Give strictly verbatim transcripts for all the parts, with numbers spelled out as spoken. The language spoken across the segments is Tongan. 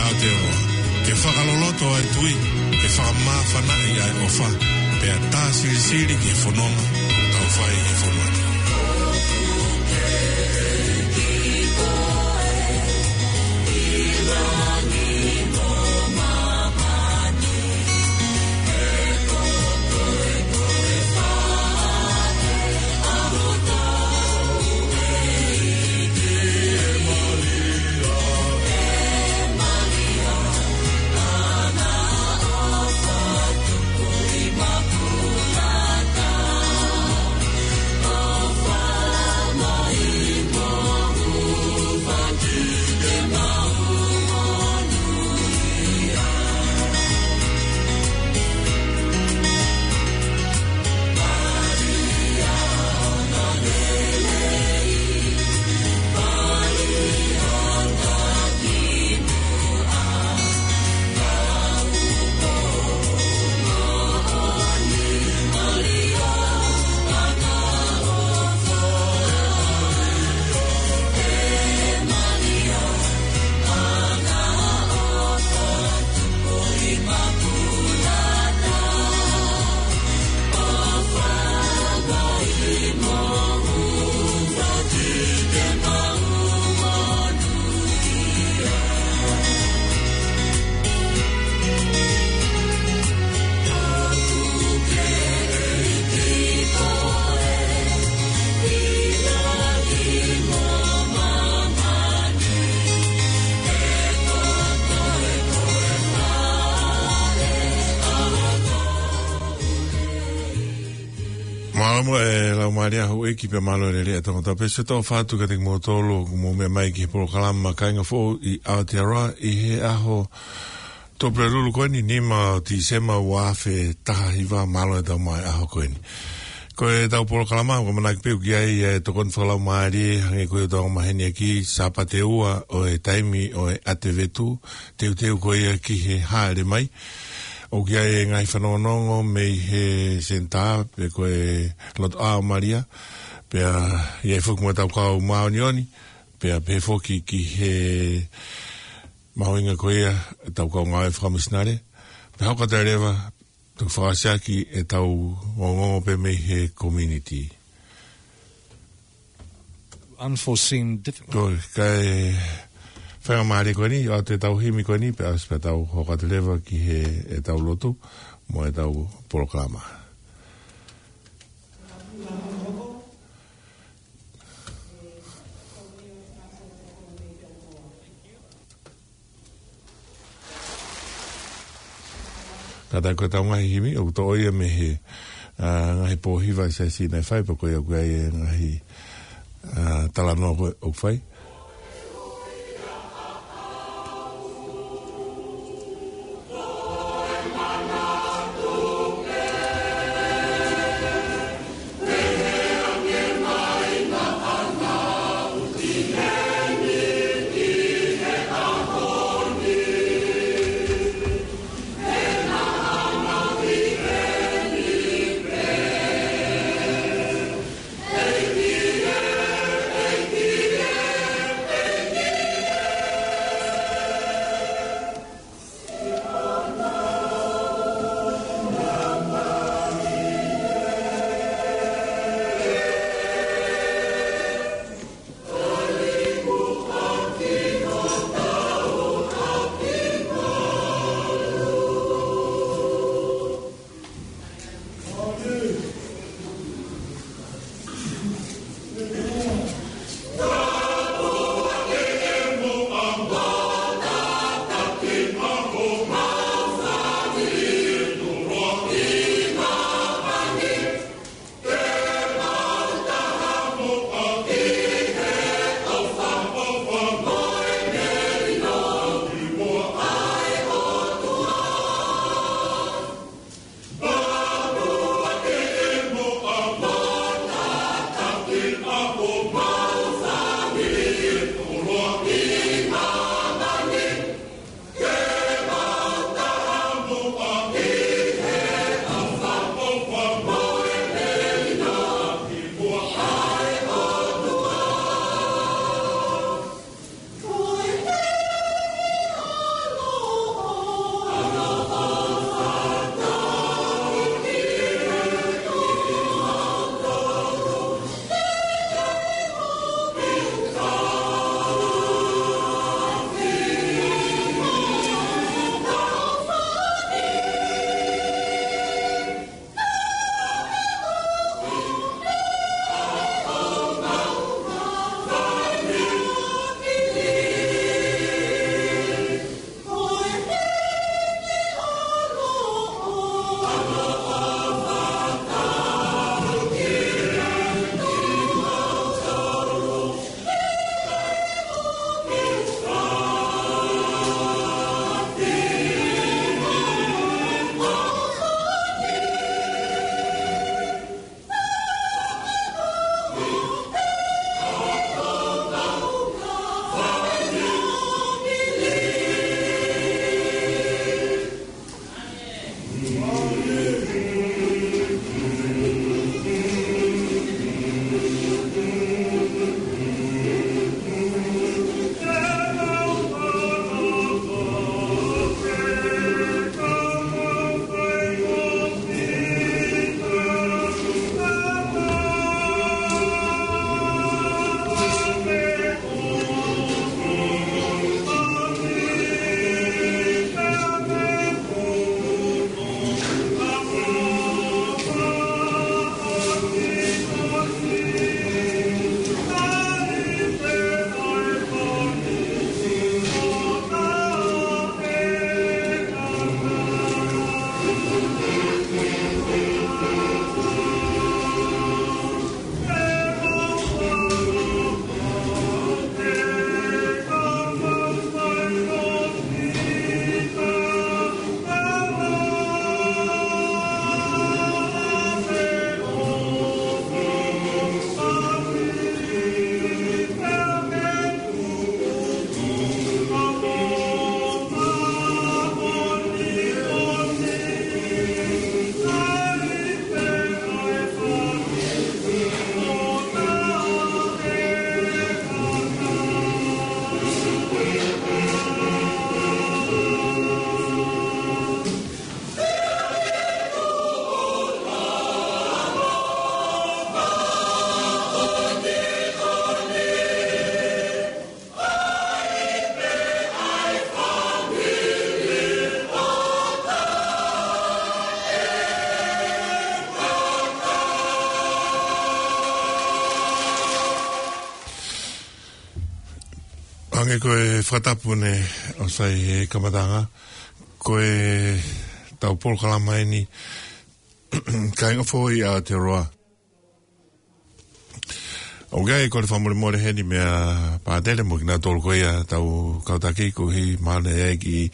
Aotearoa, ke fakaloloto ʻa e tui, ke fakamāfanaʻi ʻa e ʻofa, pea tā silisili ki he fononga ʻoku tau fai ʻi he fonua ni. Mālō muʻa e Laumālie ʻa houʻeiki pea mālō e lelei ʻa Tonga. Tau pehē ʻosi ʻetau fakatapu kiate kimoutolu ʻoku mou meʻa mai ki he polokalama Kāinga Foʻou ʻi Aotearoa ʻi he ʻaho Tuʻapulelulu ko eni, nima ʻo Tīsema ua afe taha hiva. Mālō e tau mai ʻaho ko eni. Ko ʻetau polokalama, ʻoku ʻamanaki pē ʻoku ʻi ai e tokoni fakalaumālie, hangē ko ia ʻoku tau maheni ʻaki, Sāpate ua ʻo e taimi ʻo e ʻAtevetu, teuteu ko ia ki he Hāʻele Mai. ʻOku ʻi ai e ngaahi fanongonongo mei he senitā, pe ko e Lotoʻā ʻo Malia, pea ʻi ai foki mo ʻetau kau māʻoniʻoni, pea pehē foki ki he mahuʻinga ko ia ʻetau kau ngāue fakamisinale, pea hoko atu leva, toki fakaʻosiʻaki ʻetau ongoongo pē mei he community. Unforeseen difficulties. Ko e faingamālie ko eni, ʻoatu ʻetau himi ko eni, pea ʻosi pea tau hoko atu leva ki he ʻetau lotu, mo ʻetau polokalama. Kātaki ko ʻetau ngaahi himi, ʻoku toʻo ia mei he, ā, ngaahi pōhiva ʻa e siasi naʻe fai, pea ko ia ʻoku ʻi ai e ngaahi, ā, talanoa ko ē ʻoku fai. Hangē ko e fakatapu ne ʻosi ʻi he kamataʻanga, ko e tau polokalama eni, kāinga foʻou ʻi Aotearoa. ʻOku ʻi ai e kole fakamolemole heni meia Pātele mo kinautolu ko ia tau kau taki koeʻuhi mahalo naʻe ʻi ai e kiʻi,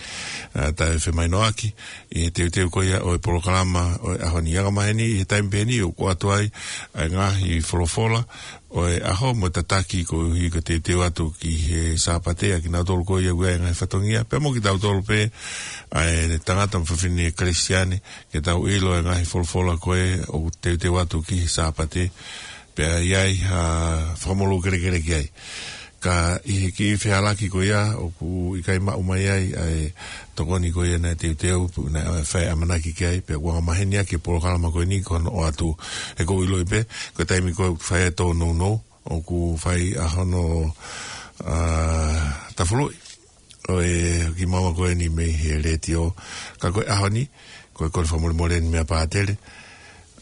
ā, taʻefemahinoʻaki ʻi he teuteu ko ia ʻo e polokalama ʻo e ʻaho ni. Angamaheni ʻi he taimi pē eni ʻoku ʻoatu ai ʻa e ngaahi folofola ʻo e ʻaho mo e tataki koeʻuhi ko e teuteu atu ki he Sāpate ʻa kinautolu ko ia ʻoku ʻi ai e ngaahi fatongia. Pea mo kitautolu pē ʻa e tangata mo e fefine Kalisitiane ke tau ʻilo e ngaahi folofola ko ē ʻoku teuteu atu ki he Sāpate. Pea ʻi ai ha fakamolū kelekele ki ai. Ka ʻi he kiʻi fehālaaki ko ia ʻoku ʻikai maʻu mai ai ʻa e tokoni ko ia naʻe teuteu, naʻe fai ʻamanaki ki ai, pea ʻoku angamaheni ʻaki e polokalama ko eni ko hono ʻoatu. He ʻoku ou ʻiloʻi pē, ko e taimi ko ē ʻoku fai ai e tōnounou, ʻoku fai ʻa hono, ā, tafuluʻi ʻo e kiʻi maama ko eni mei he letiō. Ka ko e ʻaho ni, ko e kole fakamolemole eni meia Pātele,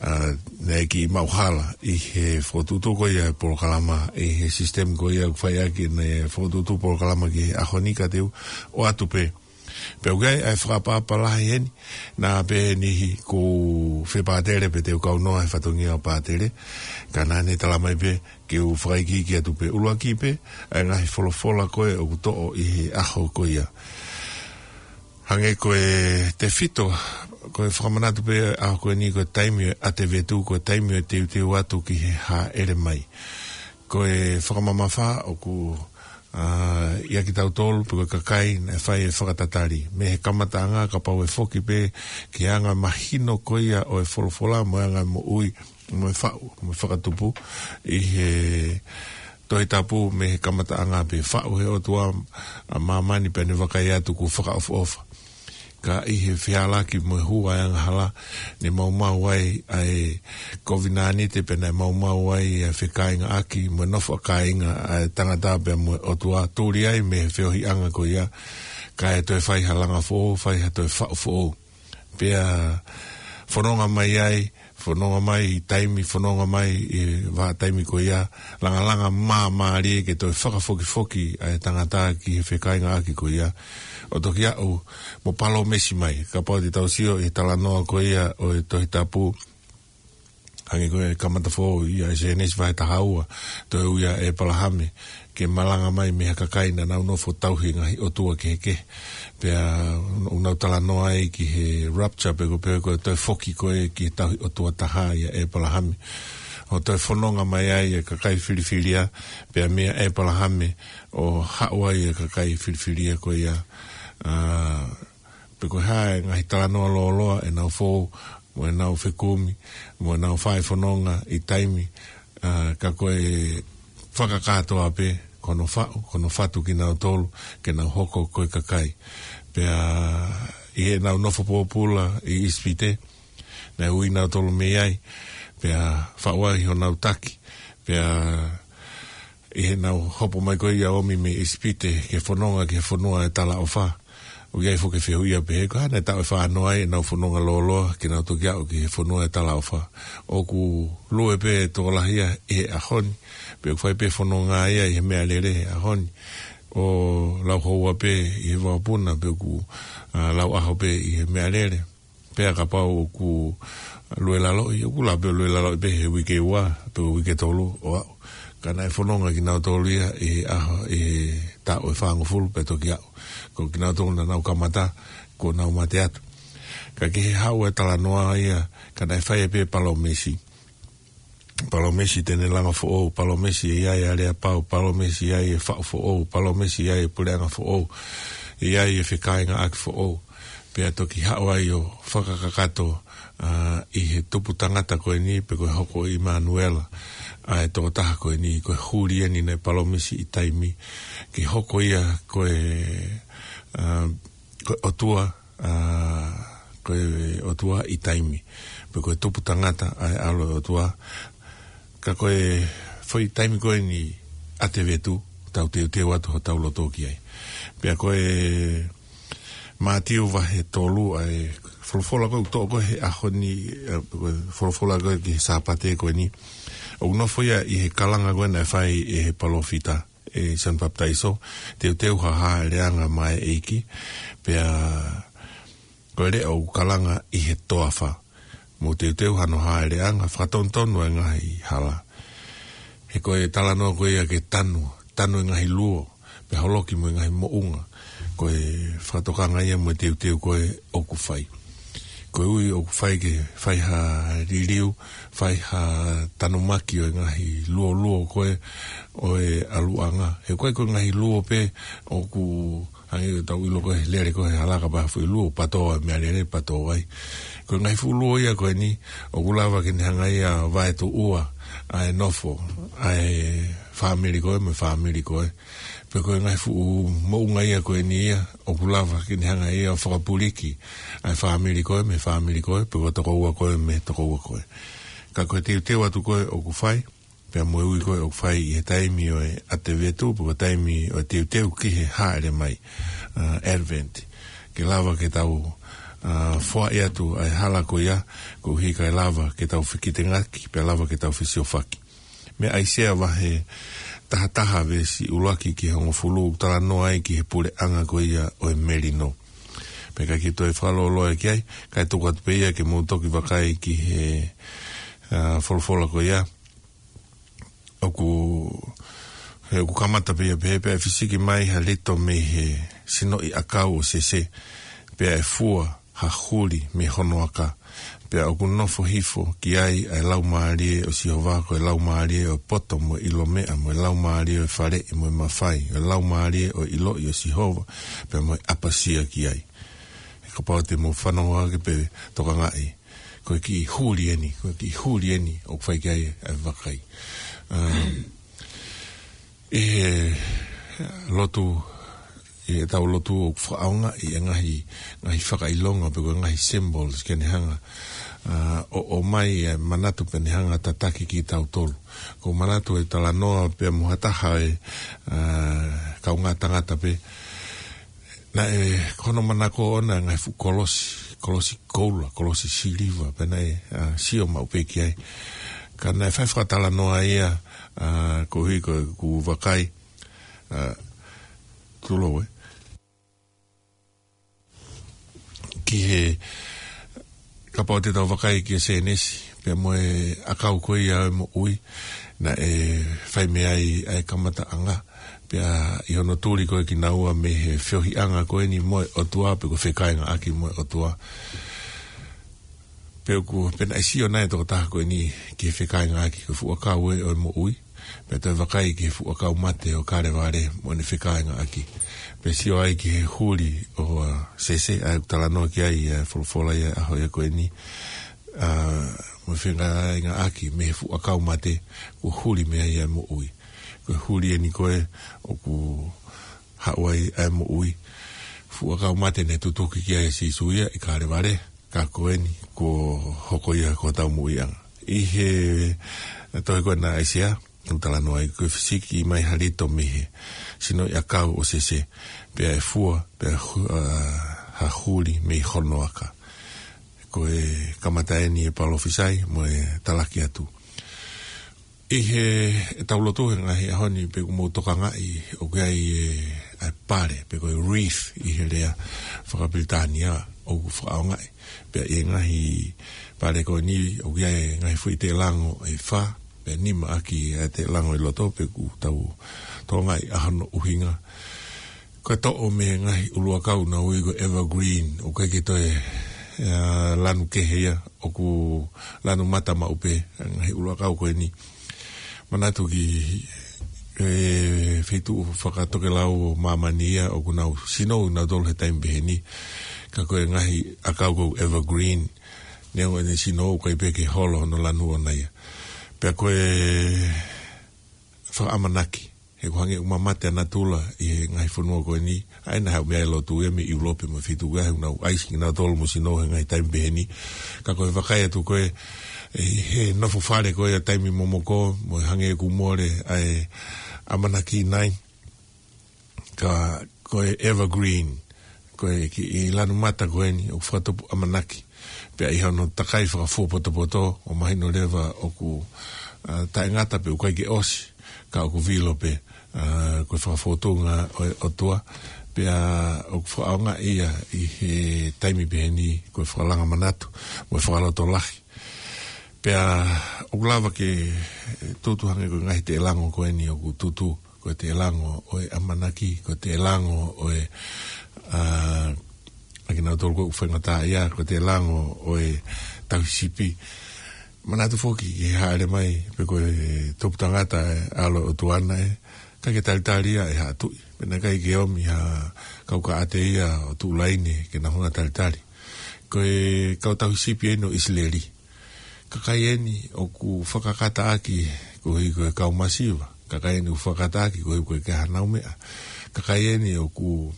ā, naʻe kiʻi maʻu hala ʻi he fokotuʻutuʻu ko ia e polokalama, ʻi he sisitemi ko ia ʻoku fai ʻaki ʻene fokotuʻutuʻu polokalama ki he ʻaho ni, ka te u ʻoatu pē. Pea ʻoku ʻi ai ʻa e fakaʻapaʻapa lahi heni, naʻa pē niʻihi ʻoku fepātele pē te u kaunoa he fatongia ʻo Pātele, ka naʻa ne tala mai pē ke u fakaikiiki atu pē ʻuluaki pē ʻa e ngaahi folofola ko ē ʻoku toʻo ʻi he ʻaho ko ia. Hangē ko e tefito, ko e fakamanatu pē ʻaho ko eni ko e taimi ʻo e ʻatevetu, ko e taimi ʻo e teuteu atu ki he hāʻele mai. Ko e fakamamafa ʻoku, ā, ʻia kitautolu pe ko e kakai naʻe fai e fakatatali. Mei he kamataʻanga kapau ʻe foki pē ki he anga mahino ko ia ʻo e folofola mo e anga moʻui mo e faʻu, mo e fakatupu ʻi he Tohi Tapu mei he kamataʻanga pē. Faʻu he ʻOtua ʻa māmani pea ne vakai atu kuo fakaʻofoʻofa. Ka ʻi he fehālaaki mo e hū ʻa e angahala, ne maumau ai ʻa e kovinānite pea ne maumau ai ʻa e fekāingaʻaki mo e nofo ʻa kāinga ʻa e tangata pea mo e ʻOtua, tuli ai mei he feohiʻanga ko ia, kae toe fai ha langa foʻou, fai ha toe faʻu foʻou. Pea fononga mai ai, fononga mai ʻi taimi, fononga mai ʻi he vahaʻa taimi ko ia, langalanga māmālie ke toe fakafokifoki ʻa e tangata ki he fekāingaʻaki ko ia. ʻO toki aʻu mo palōmesi mai, kapau te tau sio ʻi he talanoa ko ia ʻo e Tohi Tapu, hangē ko e kamata foʻou ʻia Sēnesi vahe taha ua, toe ui ʻa ʻĒpalahame ke malanga mai mei ha kakai naʻa nau nofo tauhi e ngaahi ʻotua kehekehe. Pea ʻoku nau talanoa ai ki he rapture pe ko e, pe ko e toe foki ko ē ki he tauhi ʻotua taha ʻia ʻĒpalahame. ʻO toe fononga mai ai e kakai filifilia, pea meia ʻĒpalahame ʻo haʻu ai e kakai filifilia ko ia, ā, pe ko e hā e ngaahi talanoa lōloa ʻenau fou, mo ʻenau fekumi, mo ʻenau fai fononga ʻi taimi, ā, ka ko e fakakātoa pē, ko hono faʻu, ko hono fatu kinautolu, ke nau hoko ko e kakai. Pea ʻi heʻenau nofo pōpula ʻi ʻIsipite, naʻe ui nautolu mei ai, pea faʻu ai honau taki, pea ʻi heʻenau hopo mai ko ia ʻo ʻomi mei ʻIsipite ke fononga ki he fonua ʻo e talaʻofa. ʻOku ʻi ai foki e fehuʻia pehē ko e hā naʻe taʻu ʻe fā noa ai ʻenau fononga lōloa ke nau toki aʻu ki he fonua ʻo e talaʻofa. ʻOku lue pē e tokolahi ia ʻi he ʻaho ni, pe ʻoku fai pē fononga ia ʻi he meʻalele he ʻaho ni, ʻo lauhoua pē ʻi he vakapuna, pe ʻoku, ā, lauʻaho pē ʻi he meʻalele. Pea kapau ʻoku lue laloʻi, ʻoku lava pē ʻo lue laloʻi pē he uike ua, pe ko e uike tolu ʻo aʻu. Ka naʻe fononga kinautolu ia ʻi he ʻaho, ʻi he taʻu ʻe fāngofulu pea toki aʻu. Ko kinautolu naʻa nau kamata, kuo nau mate atu. Ka ki he haʻu e talanoa ia, ka naʻe fai ai pē palōmesi. Palōmesi te ne langa foʻou, palōmesi ʻe ʻi ai e aleapau, palōmesi ʻe ʻi ai e faʻu foʻou, palōmesi ʻe ʻi ai e puleʻanga foʻou, ʻe ʻi ai e fekāingaʻaki foʻou. Pea toki haʻu ai ʻo fakakakato, ā, ʻi he tupu tangata ko eni, pe ko e hoko ʻo ʻImanuela, ʻa e tokotaha ko eni, ko e huli eni naʻe palōmesi ʻi taimi, ke hoko ia ko e, ā, ko e ʻOtua, ā, ko e ʻOtua ʻi taimi, pe ko e tupu tangata ʻa e ʻAlo ʻo e ʻOtua. Ka ko e foʻi taimi ko eni ʻatevetu, tau teuteu atu hotau loto ki ai. Pea ko e Mātiu vahe tolu ʻa e folofola ko ē ʻoku toʻo ko ē he ʻaho ni, ē, ko e folofola ko ē ki he Sāpate ko eni. ʻOku nofo ia ʻi he kalanga ko ē naʻe fai ʻe he palōfita ʻe Sione Papitaiso, teuteu ha hāʻeleʻanga maʻa e ʻEiki, pea ko e leʻo ʻoku kalanga ʻi he toafa. Mou teuteu hano hāʻeleʻanga, fakatonutonu e ngaahi hala. He ko e talanoa ko ia ke tanu, tanu e ngaahi luo, pea holoki mo e ngaahi moʻunga. Ko e fakatokanga ia mo e teuteu ko ē ʻoku fai. Ko e ui ʻoku fai ke fai ha liliu, fai ha tanumaki ʻo e ngaahi luoluo ko ē ʻo e ʻaluʻanga. He ko e, ko e ngaahi luo pē ʻoku hangē ko ʻetau ʻilo ko ē he lele ko ē he hala, kapau ʻe fuʻu luo, pato ai, meʻalele pato ai. Ko e ngaahi fuʻu luo ia ko eni, ʻoku lava ke ne hanga ia ʻo vaetuʻua ʻa e nofo ʻa e fāmili ko ē mo e fāmili ko ē. Pea ko e ngaahi fuʻu moʻunga ia ko eni ia, ʻoku lava ke ne hanga ia ʻo fakapuliki ʻa e fāmili ko ē mo e fāmili ko ē, pe ko e tokoua ko ē mo e tokoua ko ē. Ka ko e teuteu atu ko ē ʻoku fai, pea mo e ui ko ē ʻoku fai ʻi he taimi ʻo e ʻAtevetu, pe ko e taimi ʻo e teuteu ki he hāʻele mai, ʻa, Advent. Ke lava ke tau, ʻa, foaʻi atu ʻa e hala ko ia, koeʻuhi kae lava ke tau fekitengaki, pea lava ke tau fesiofaki. Mei ʻAisea vahe taha taha veesi ʻuluaki ki he hongofulu, ʻoku talanoa ai ki he puleʻanga ko ia ʻo e melino. Pea ʻikai ke toe fakalōloa ki ai, kae tuku atu pē ia ke mou toki vakai ki he, ʻa, folofola ko ia. ʻOku, he ʻoku kamata pē ia pehē, pea ʻe fisiki mai ha lito mei he sinoʻi ʻakau ʻo Sese, pea ʻe fua ha huli mei hono aka. Pea ʻoku nofo hifo ki ai ʻa e Laumālie ʻo Sihova, ko e laumālie ʻo e poto mo e ʻilo meʻa, mo e laumālie ʻo e faleʻi mo e mafai, ʻo e laumālie ʻo e ʻiloʻi ʻo Sihova, pea mo e ʻapasia ki ai. He kapau te mou fanongo hake pea tokangaʻi, ko e kiʻi huli eni, ko e kiʻi huli eni ʻoku fai ki ai ʻa e vakai. Um, ʻI he lotu, ʻi heʻetau lotu ʻoku fakaʻaongaʻi e ngaahi, ngaahi fakaʻilonga pe ko e ngaahi symbols ke ne hanga, ʻa, ʻo, ʻomai e manatu pea ne hanga tataki kitautolu. ʻOku ou manatu e talanoa pea mo ha taha e, ʻa, kaungā tangata pē. Naʻe, ko hono manako ʻona e ngaahi fuʻu kolosi, kolosi koula, kolosi siliva, pea naʻe, ʻa, sio maʻu pē ki ai. Ka naʻe fai fakatalanoa ia, ʻa, koeʻuhi ko ʻeku vakai, ʻa, tulou ē. Ki he, kapau te tau vakai ki he Sēnesi, pea mo e ʻakau ko ia ʻo e moʻui, naʻe fai mei ai ʻa e kamataʻanga, pea ʻi hono tuli ko ē kinaua mei he feohiʻanga ko eni mo e ʻOtua pe ko e fekāingaʻaki mo e ʻOtua. Pea ʻoku, pea naʻe sio nai e tokotaha ko eni ki he fekāingaʻaki, ko e fuʻu ʻakau ē ʻo e moʻui, pea toe vakai ki he fuʻu ʻakau mate ʻo Kalevale mo ʻene fekāingaʻaki. Pea sio ai ki he huli ʻo, ʻa, Sese, ʻa ia ʻoku talanoa ki ai ʻa e folofola ʻi he ʻaho ia ko eni, ʻa, mo e fekāingaʻaki mei he fuʻu ʻakau mate, kuo huli mei ai ʻa e moʻui. Ko e huli eni ko ē ʻoku haʻu ai ʻa e moʻui. Fuʻu ʻakau mate naʻe tutuki ki ai ʻa Sīsū ia ʻi Kalevale, ka ko eni kuo hoko ia ko hotau moʻuiʻanga. ʻI he tohi ko ena ʻAisea, ʻoku talanoa ai, ko e fisiki mai ha lito mei he sinoʻi ʻakau ʻo Sese, pea ʻe fua, pea hu-, ʻa, ha huli mei hono aka. Ko e kamata eni e palōfisai mo e talaki atu. ʻI heʻetau lotu he ngaahi ʻaho ni, pea ʻoku mou tokangaʻi ʻoku ʻi ai e, ʻa e pale, pe ko e wreath ʻi he lea fakapilitānia ʻoku fakaʻaongaʻi. Pea ʻi he ngaahi pale ko eni ʻoku ʻi ai e ngaahi foʻi teʻelango ʻe fā, pea nima ʻaki ʻa e teʻelango ʻi loto, pea ʻoku tau tokangaʻi ʻa hono ʻuhinga. Ko e toʻo mei he ngaahi ʻuluʻakau naʻa nau ui ko e evergreen, ʻoku ʻikai ke toe, ʻa, lanu kehe ia, ʻoku lanu mata maʻu pē, ngaahi ʻuluʻakau ko eni. Manatu ki he feituʻu fakatokelau ʻo māmani ia, ʻoku nau sino nautolu he taimi pehē ni. Ka ko e ngaahi ʻakau ko e evergreen, neongo ʻene sino ʻoku ʻikai pē ke holo hono lanu ʻona ia. Pea ko e fakaʻamanaki, he ʻoku hangē ʻoku mamate ʻa natula ʻi he ngaahi fonua ko eni, ʻa ia naʻe haʻu mei ai e lotu ia mei ʻIulope mo e feituʻu ia, he ʻoku nau ʻaisi kinautolu mo sino he ngaahi taimi pehē ni. Ka ko e vakai atu ko ē, ʻi he nofo fale ko ē ʻa e taimi momoko, mo e hangē ʻoku mole ʻa e ʻamanaki nai, ka ko e evergreen, ko e kiʻi lanu mata ko eni, ʻoku fakatupu ʻamanaki. Pea ʻi hono takai fakafuopotopoto, ʻoku mahino leva ʻoku, ʻa, taʻengata pea ʻoku ʻikai ke ʻosi, ka ʻoku vilo pē. ʻA, ko e fakafotunga ʻo e ʻOtua, pea ʻoku fakaʻaongaʻi ia ʻi he taimi pehē ni, ko e fakalanga manatu, mo e fakalotolahi. Pea ʻoku lava ke tutu hangē ko e ngaahi teʻelango ko eni ʻoku tutu, ko e teʻelango ʻo e ʻamanaki, ko e teʻelango ʻo e, ʻa, ʻa kinautolu ko ē ʻoku faingataʻaʻia, ko e teʻelango ʻo e tauhi sipi. Manatu foki ki he hāʻele mai, pe ko e tupu tangata ʻa e ʻAlo ʻo e ʻOtua naʻe, ʻikai ke talitali ia ʻe ha tuʻi. Pea naʻe ʻikai ke ʻomi ha kau kaʻate ia ʻo tuʻu laine ke nau hanga ʻo talitali. Ko e kau tauhi sipi eni ʻo ʻIsileli. Kakai eni ʻoku fakakataʻaki koeʻuhi ko e kau masiva. Kakai eni ʻoku fakakataʻaki koeʻuhi ko e kei hanau meʻa. Kakai eni ʻoku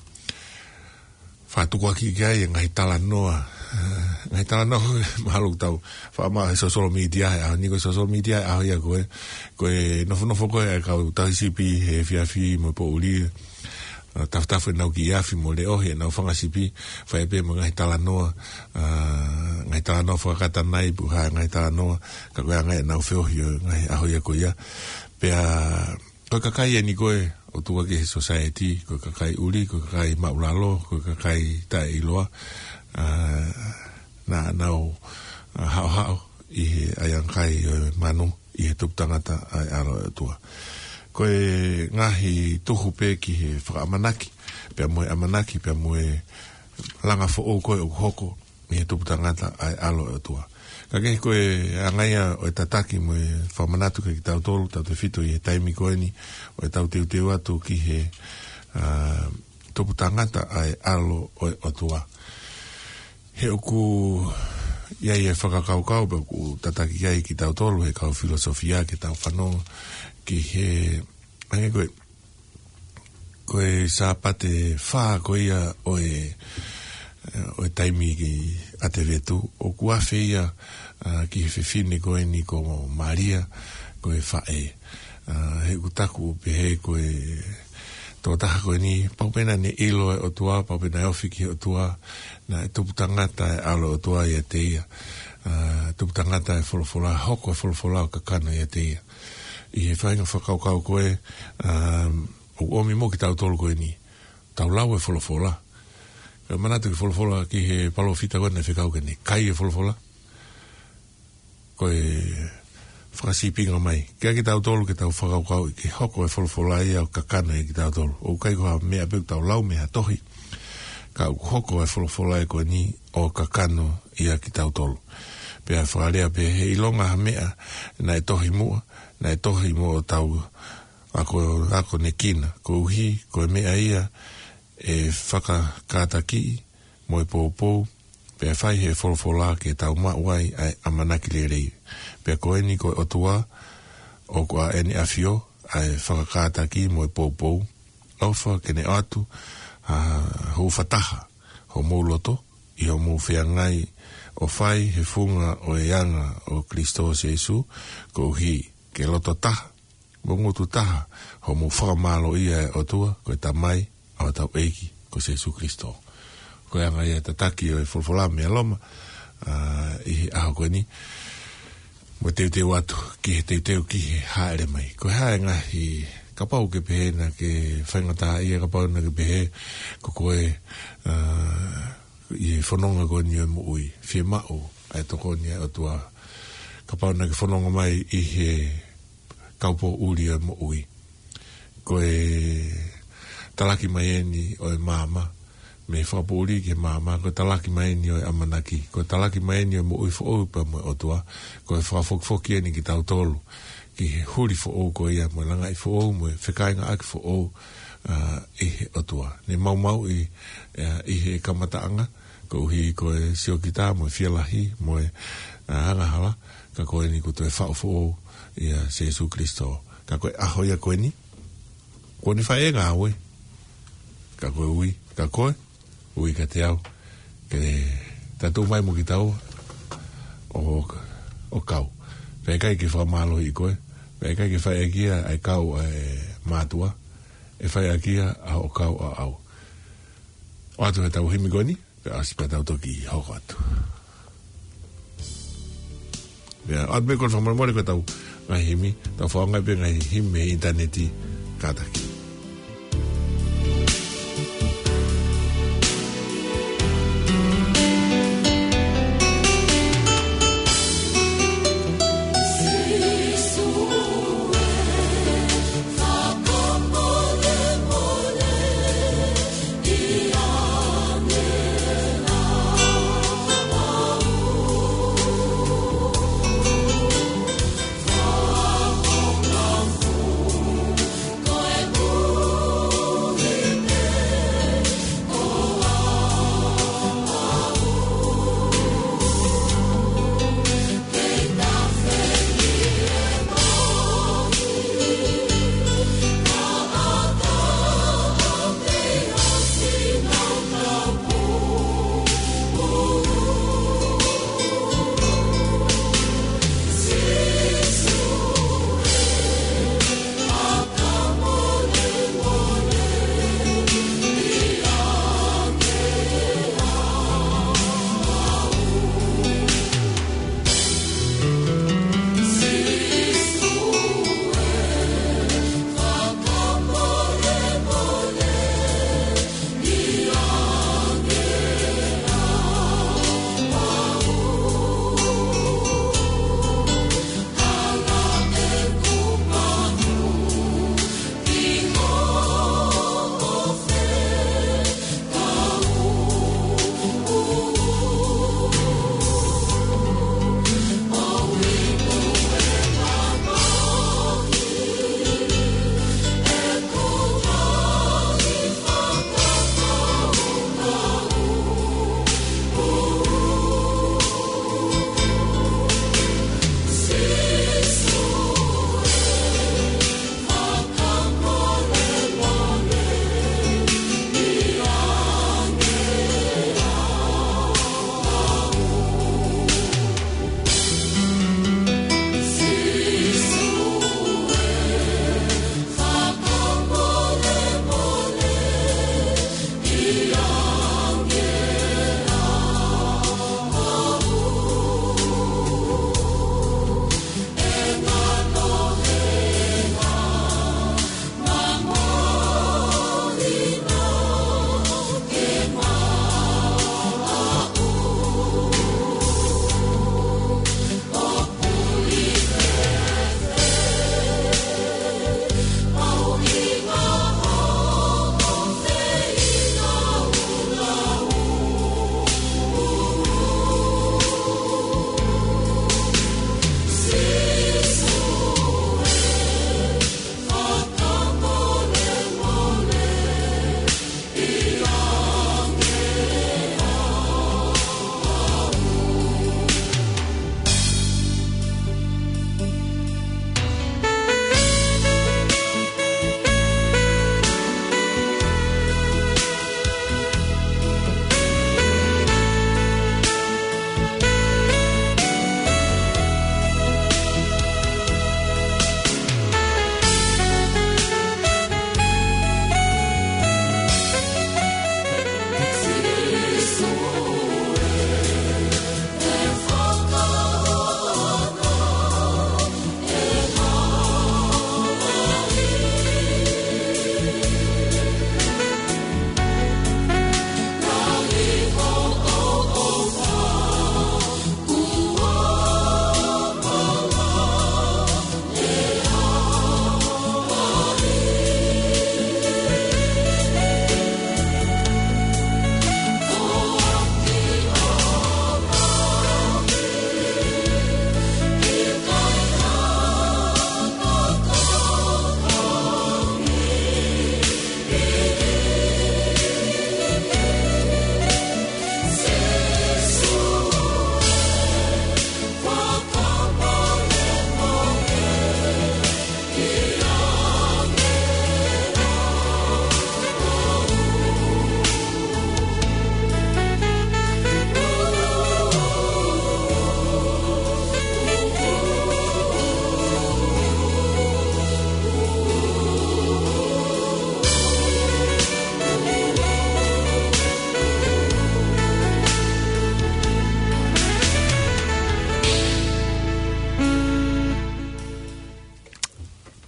fakatukuakiʻi ki ai e ngaahi talanoa. Ngaahi talanoa ko ē mahalo ʻoku tau faʻa maʻu he social media he ʻaho ni, ko e social media he ʻaho ia ko ē, ko e nofonofo ko ē ʻa e kau tauhi sipi he efiafi mo e poʻuli, ʻa, tafutafuʻi ʻenau kiʻi afi mo leʻohi ʻenau fanga sipi, fai pē mo e ngaahi talanoa, ʻa, ngaahi talanoa fakakatanai pe ko e hā e ngaahi talanoa, ka ko e anga ia ʻenau feohi ʻo e ngaahi ʻaho ia ko ia. Pea ko e kakai eni ko ē ʻoku tukuakiʻi he society, ko e kakai ʻuli, ko e kakai māʻulalo, ko e kakai taʻeʻiloa, ʻa, naʻa nau, ʻa, haʻohaʻo ʻi he ʻaiʻangakai ʻo e manu, ʻi he tupu tangata ʻa e ʻAlo ʻo e ʻOtua. Ko e ngaahi tuhu pē ki he fakaʻamanaki, pea mo e ʻamanaki, pea mo e langa foʻou ko ē ʻoku hoko ʻi he tupu tangata ʻa e ʻAlo ʻo e ʻOtua. Ka kehe ko e anga ia ʻo e tataki mo e fakamanatu kiate kitautolu, tautefito ʻi he taimi ko eni ʻo ʻetau teuteu atu ki he, ʻa, tupu tangata ʻa e ʻAlo ʻo e ʻOtua. He ʻoku ʻi ai e fakakaukau pe ʻoku tataki ai kitautolu he kau filosofia ke tau fanongo ki he, hangē ko e, ko e Sāpate fā ko ia ʻo e, ʻo e taimi ki ʻAtevetu, ʻoku afe ia, ʻa, ki he fefine ko eni ko Malia, ko e faʻē. ʻA, he ʻoku taku pehē ko e tokotaha ko eni, pau pē naʻa ne ʻilo e ʻOtua, pau pē naʻe ofi ki he ʻOtua, naʻe tupu tangata e ʻAlo ʻo e ʻOtua ʻiate ia. ʻA, tupu tangata e folofola, hoko e folofola ʻo kakano ʻiate ia. ʻI he faʻahinga fakakaukau ko ē, ʻa, ʻoku ʻomi mo kitautolu ko eni. Tau lau e folofola. Ka manatu ki he folofola ki he palōfita ko ē naʻe fekau ke ne kai e folofola. Ko e fakasīpinga mai. Kiate kitautolu ke tau fakakaukauʻi ke hoko e folofola ia ʻo kakano ʻiate kitautolu. ʻOku ʻikai ko ha meʻa pē ʻoku tau lau mei ha tohi. Ka ʻoku hoko e folofola ia ko eni ʻo kakano ʻiate kitautolu. Pea fakalea pē he ʻilonga ha meʻa naʻe tohi muʻa, naʻe tohi mo hotau ako, akonekina, koeʻuhi ko e meʻa ia ʻe fakakātakiʻi mo e poupou, pea fai he folofola ke tau maʻu ai ʻa e ʻamanaki lelei. Pea ko eni ko e ʻOtua, ʻoku ʻa ʻene ʻafio ʻa e fakakātaki mo e poupou, ʻofa ke ne ʻoatu ha hūfataha homou loto, ʻi hoʻomou feangai ʻo fai he funga ʻo e anga ʻo Kalaisi Sīsū, koeʻuhi ke loto taha mo ngutu taha hoʻomou fakamālōʻia e ʻOtua, ko e Tamai ʻa hotau ʻEiki ko Sīsū Kalaisi. Ko e anga ia e tataki ʻo e folofola mei Loma, ʻa, ʻi he ʻaho ko eni, mo teuteu atu ki he teuteu ki he hāʻele mai. Ko e hā e ngaahi, kapau ʻoku ke pehē naʻa ke faingataʻaʻia, kapau naʻa ke pehē ko koe, ʻa, ʻi he fononga ko eni ʻo e moʻui, fiemaʻu ʻa e tokoni ʻa e ʻOtua. Kapau naʻa ke fononga mai ʻi he kaupoʻuli ʻo e moʻui. Ko e talaki mai eni ʻo e maama, mei he fakapoʻuli ki he maama, ko e talaki mai eni ʻo e ʻamanaki, ko e talaki mai eni ʻo e moʻui foʻou pea mo e ʻOtua, ko e fakafokifoki eni kitautolu ki he huli foʻou ko ia, mo e langaʻi foʻou, mo e fekāingaʻaki foʻou, ʻa, ʻi he ʻOtua. Ne maumauʻi, ʻa, ʻi he kamataʻanga, koeʻuhi ko e siokita, mo e fielahi, mo e, ʻa, angahala, ka ko eni kuo toe faʻu foʻou ʻia Sīsū Kalaisi. Ka ko e ʻaho ia ko eni, kuo ne fai e ngāue, ka ko e ui, ka ko e ui kiate au, ke ta tuʻu mai mo kitaua ʻo, ʻo kau. Pea ʻikai ke fakamālohiʻi koe, pea ʻikai ke fai ʻaki ia ʻa e kau ʻa e mātuʻa, ʻe fai ʻaki ia ʻa hoʻo kau ʻaʻau. ʻOatu ʻetau himi ko eni, pea ʻosi pea tau toki hoko atu. Pea ʻoatu pē ko e fakamolemole ko ʻetau ngaahi himi, tau fakaʻaongaʻi pē ngaahi himi he ʻinitaneti, Kātaki.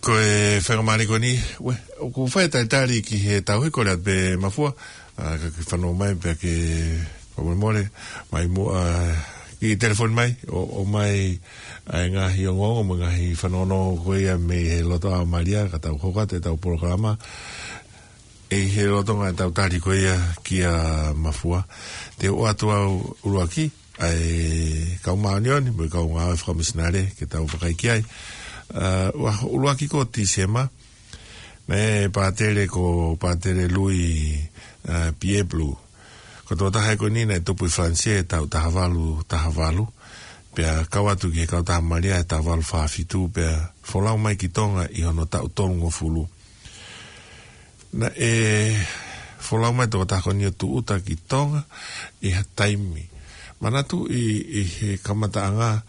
Ko e faingamālie ko eni, ue, ʻoku fai talitali ki he tauhi ko rea pē Mafua, ʻa, ka ke fanongo mai pea ke fakamolemole, mai muʻa, ʻa, ki telefoni mai, ʻo, ʻomai, ʻa e ngaahi ongoongo, mo e ngaahi fanongonongo ko ia mei he loto ʻa Malia, ka tau hoko atu ʻetau polokalama, ʻi he lolotonga ʻetau tali ko ia kia Mafua. Te u ʻoatu ʻa e ʻuluaki, ʻa e kau māʻoniʻoni, mo e kau ngāue fakamisinale, ke tau vakai ki ai. ʻA, ʻua ʻuluaki ko Tīsema, naʻe pātele ko Pātele Lui, ʻa, Pieplu. Ko e tokotaha ko eni naʻe tupu ʻi Falanisē taʻu taha valu, taha valu. Pea kau atu ki he Kautaha Malia he taha valu fā fitu, pea folau mai ki Tonga ʻi hono taʻu tolungofulu. Naʻe folau mai tokotaha ko eni ʻo tūʻuta ki Tonga ʻi ha taimi. Manatu ʻi, ʻi he kamataʻanga,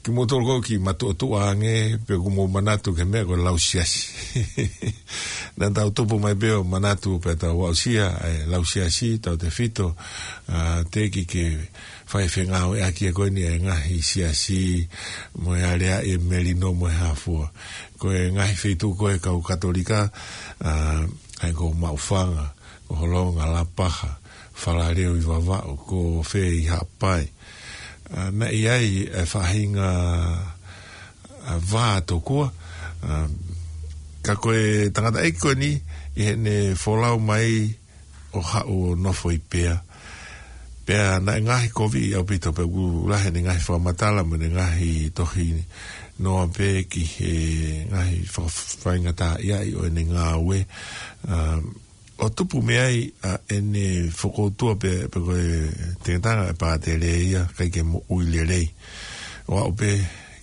kimoutolu ko ē ʻoku matuʻotuʻa ange, pe ʻoku mou manatu ki he meʻa ko e lau siasi. Naʻa tau tupu mai pē ʻo manatu pē tau aʻusia, ʻa e lau siasi, tautefito, ʻa, teʻeki ke fai fengāueʻaki ʻe ko eni ʻa e ngaahi siasi, mo e aleaʻi e melino mo e hā fua. Ko e ngaahi feituʻu ko ē kau Katolika, ʻa, ʻa ia ko Maʻufanga, ko Holonga, Lapaha, Falaleu ʻi Vavaʻu, ko fē ʻi Haʻapai. ʻA, naʻe ʻi ai e faʻahinga, ʻa, vā tokua, ʻa, ka ko e tangataʻeiki ko eni, ʻi heʻene folau mai ʻo haʻu ʻo nofo ʻi Pea. Pea naʻe ngaohikoviʻi ʻaupito pea ʻoku lahi ʻene ngaahi fakamatala mo ʻene ngaahi tohinoa pē ki he ngaahi faka-, faingataʻaʻia ʻo ʻene ngāue. ʻA, ʻo tupu mei ai ʻa ʻene fokoutua pē, pe ko e tengetanga e pātele ia, ʻikai ke moʻui lelei. ʻO aʻu pē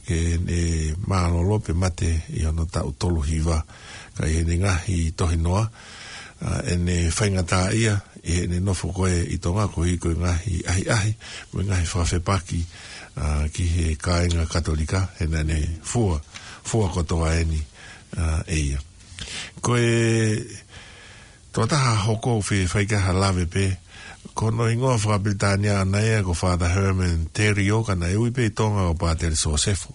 ke ne mālōlō pea mate ʻi hono taʻu tolu hiva. Ka ʻi heʻene ngaahi tohinoa, ʻa, ʻene faingataʻaʻia, ʻi heʻene nofo ko ē ʻi Tonga koeʻuhi ko e ngaahi ʻahiʻahi, mo e ngaahi fakafepaki, ʻa, ki he kāinga Katolika, he naʻa ne fua, fua kotoa eni, ʻa, ʻe ia. Ko e tokotaha hoko ʻoku fai ki ai ha lave pē, ko hono hingoa fakapilitānia ʻaʻana ia ko Father Herman Theriot, ka naʻe ui pē ʻi Tonga ko Pātele Sosefo.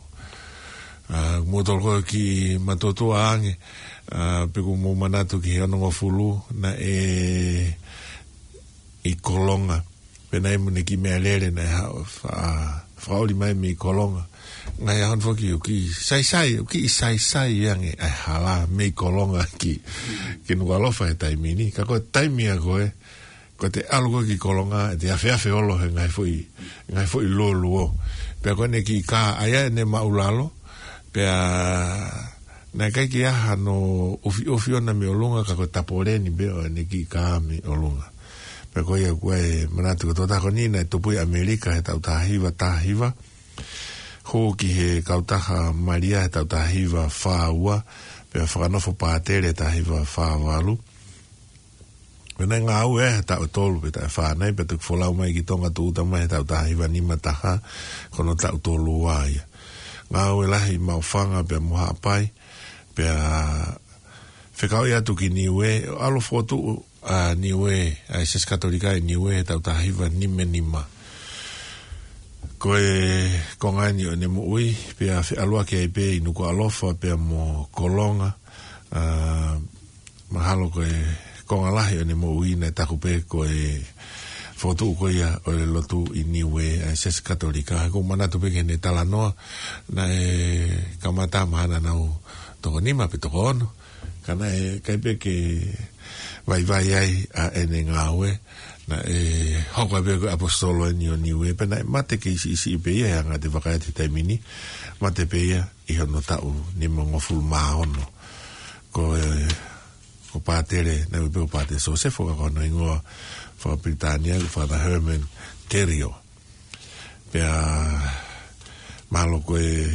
ʻA, mou toloko ki matuʻotuʻa ange, ʻa, pe ʻoku mou manatu ki he onongofulu, naʻe ʻi Kolonga. Pea naʻe ʻi ai mo ʻene kiʻi meʻalele naʻe ha-, fa-, fakaʻuli mai mei Kolonga. Ngaahi ʻaho ni foki ʻoku kiʻi saisai, ʻoku kiʻi saisai ange ʻa e hala mei Kolonga ki, ki Nukuʻalofa he taimi ni. Ka ko e taimi ia ko ē, ko ʻete ʻalu ko ē ki Kolonga, ʻete afeafe olo he ngaahi foʻi, ngaahi foʻi luoluo. Pea ko ʻene kiʻi kā, ʻa ia ʻene māʻulalo, pea naʻe ʻikai ke ʻi ai hano ʻufiʻufi ʻona mei ʻolunga, ka ko e tapoleni pē ʻo ʻene kiʻi kā mei ʻolunga. Pea ko ia ʻoku ou manatu ko e tokotaha ko eni naʻe tupu ʻi ʻAmelika he taʻu taha hiva taha hiva. Hū ki he Kautaha Malia he taʻu taha hiva fā ua, pea fakanofo pātele taha hiva fā valu. Pea naʻe ngāue he taʻu tolu pe taʻu fā nai, pea toki folau mai ki Tonga tūʻuta mai he taʻu taha hiva nima taha, ko hono taʻu tolu ua ia. Ngāue lahi Maʻufanga pea mo Haʻapai, pea fekauʻi atu ki Niuē, ʻalu fokotuʻu ʻa Niuē, ʻa e Siasi Katolika ʻi Niuē he taʻu taha hiva nima nima. Ko e konga eni ʻo ʻene moʻui, pea feʻaluʻaki ai pē ʻi Nukuʻalofa pea mo Kolonga, ʻa, mahalo ko e konga lahi ʻo ʻene moʻui naʻe taku pē ko e fokotuʻu ko ia ʻo e lotu ʻi Niuē, ʻa e Siasi Katolika. He ʻoku ou manatu pē ki heʻene talanoa, naʻe kamata mahalo naʻa nau toko nima pe toko ono. Ka naʻe ʻikai pē ke vaivai ai ʻa ʻene ngāue, naʻe hoko ai pē ko e ʻaposetolo eni ʻo Niuē, pea naʻe mate kei siʻisiʻi pē ia he anga ʻete vakai atu he taimi ni, mate pē ia ʻi hono taʻu nimangofulu mā ono. Ko e, ko Pātele, naʻe ui pē ko Pātele Sosefo ka ko hono hingoa fakapilitānia ko Father Herman Theriot. Pea mahalo ko e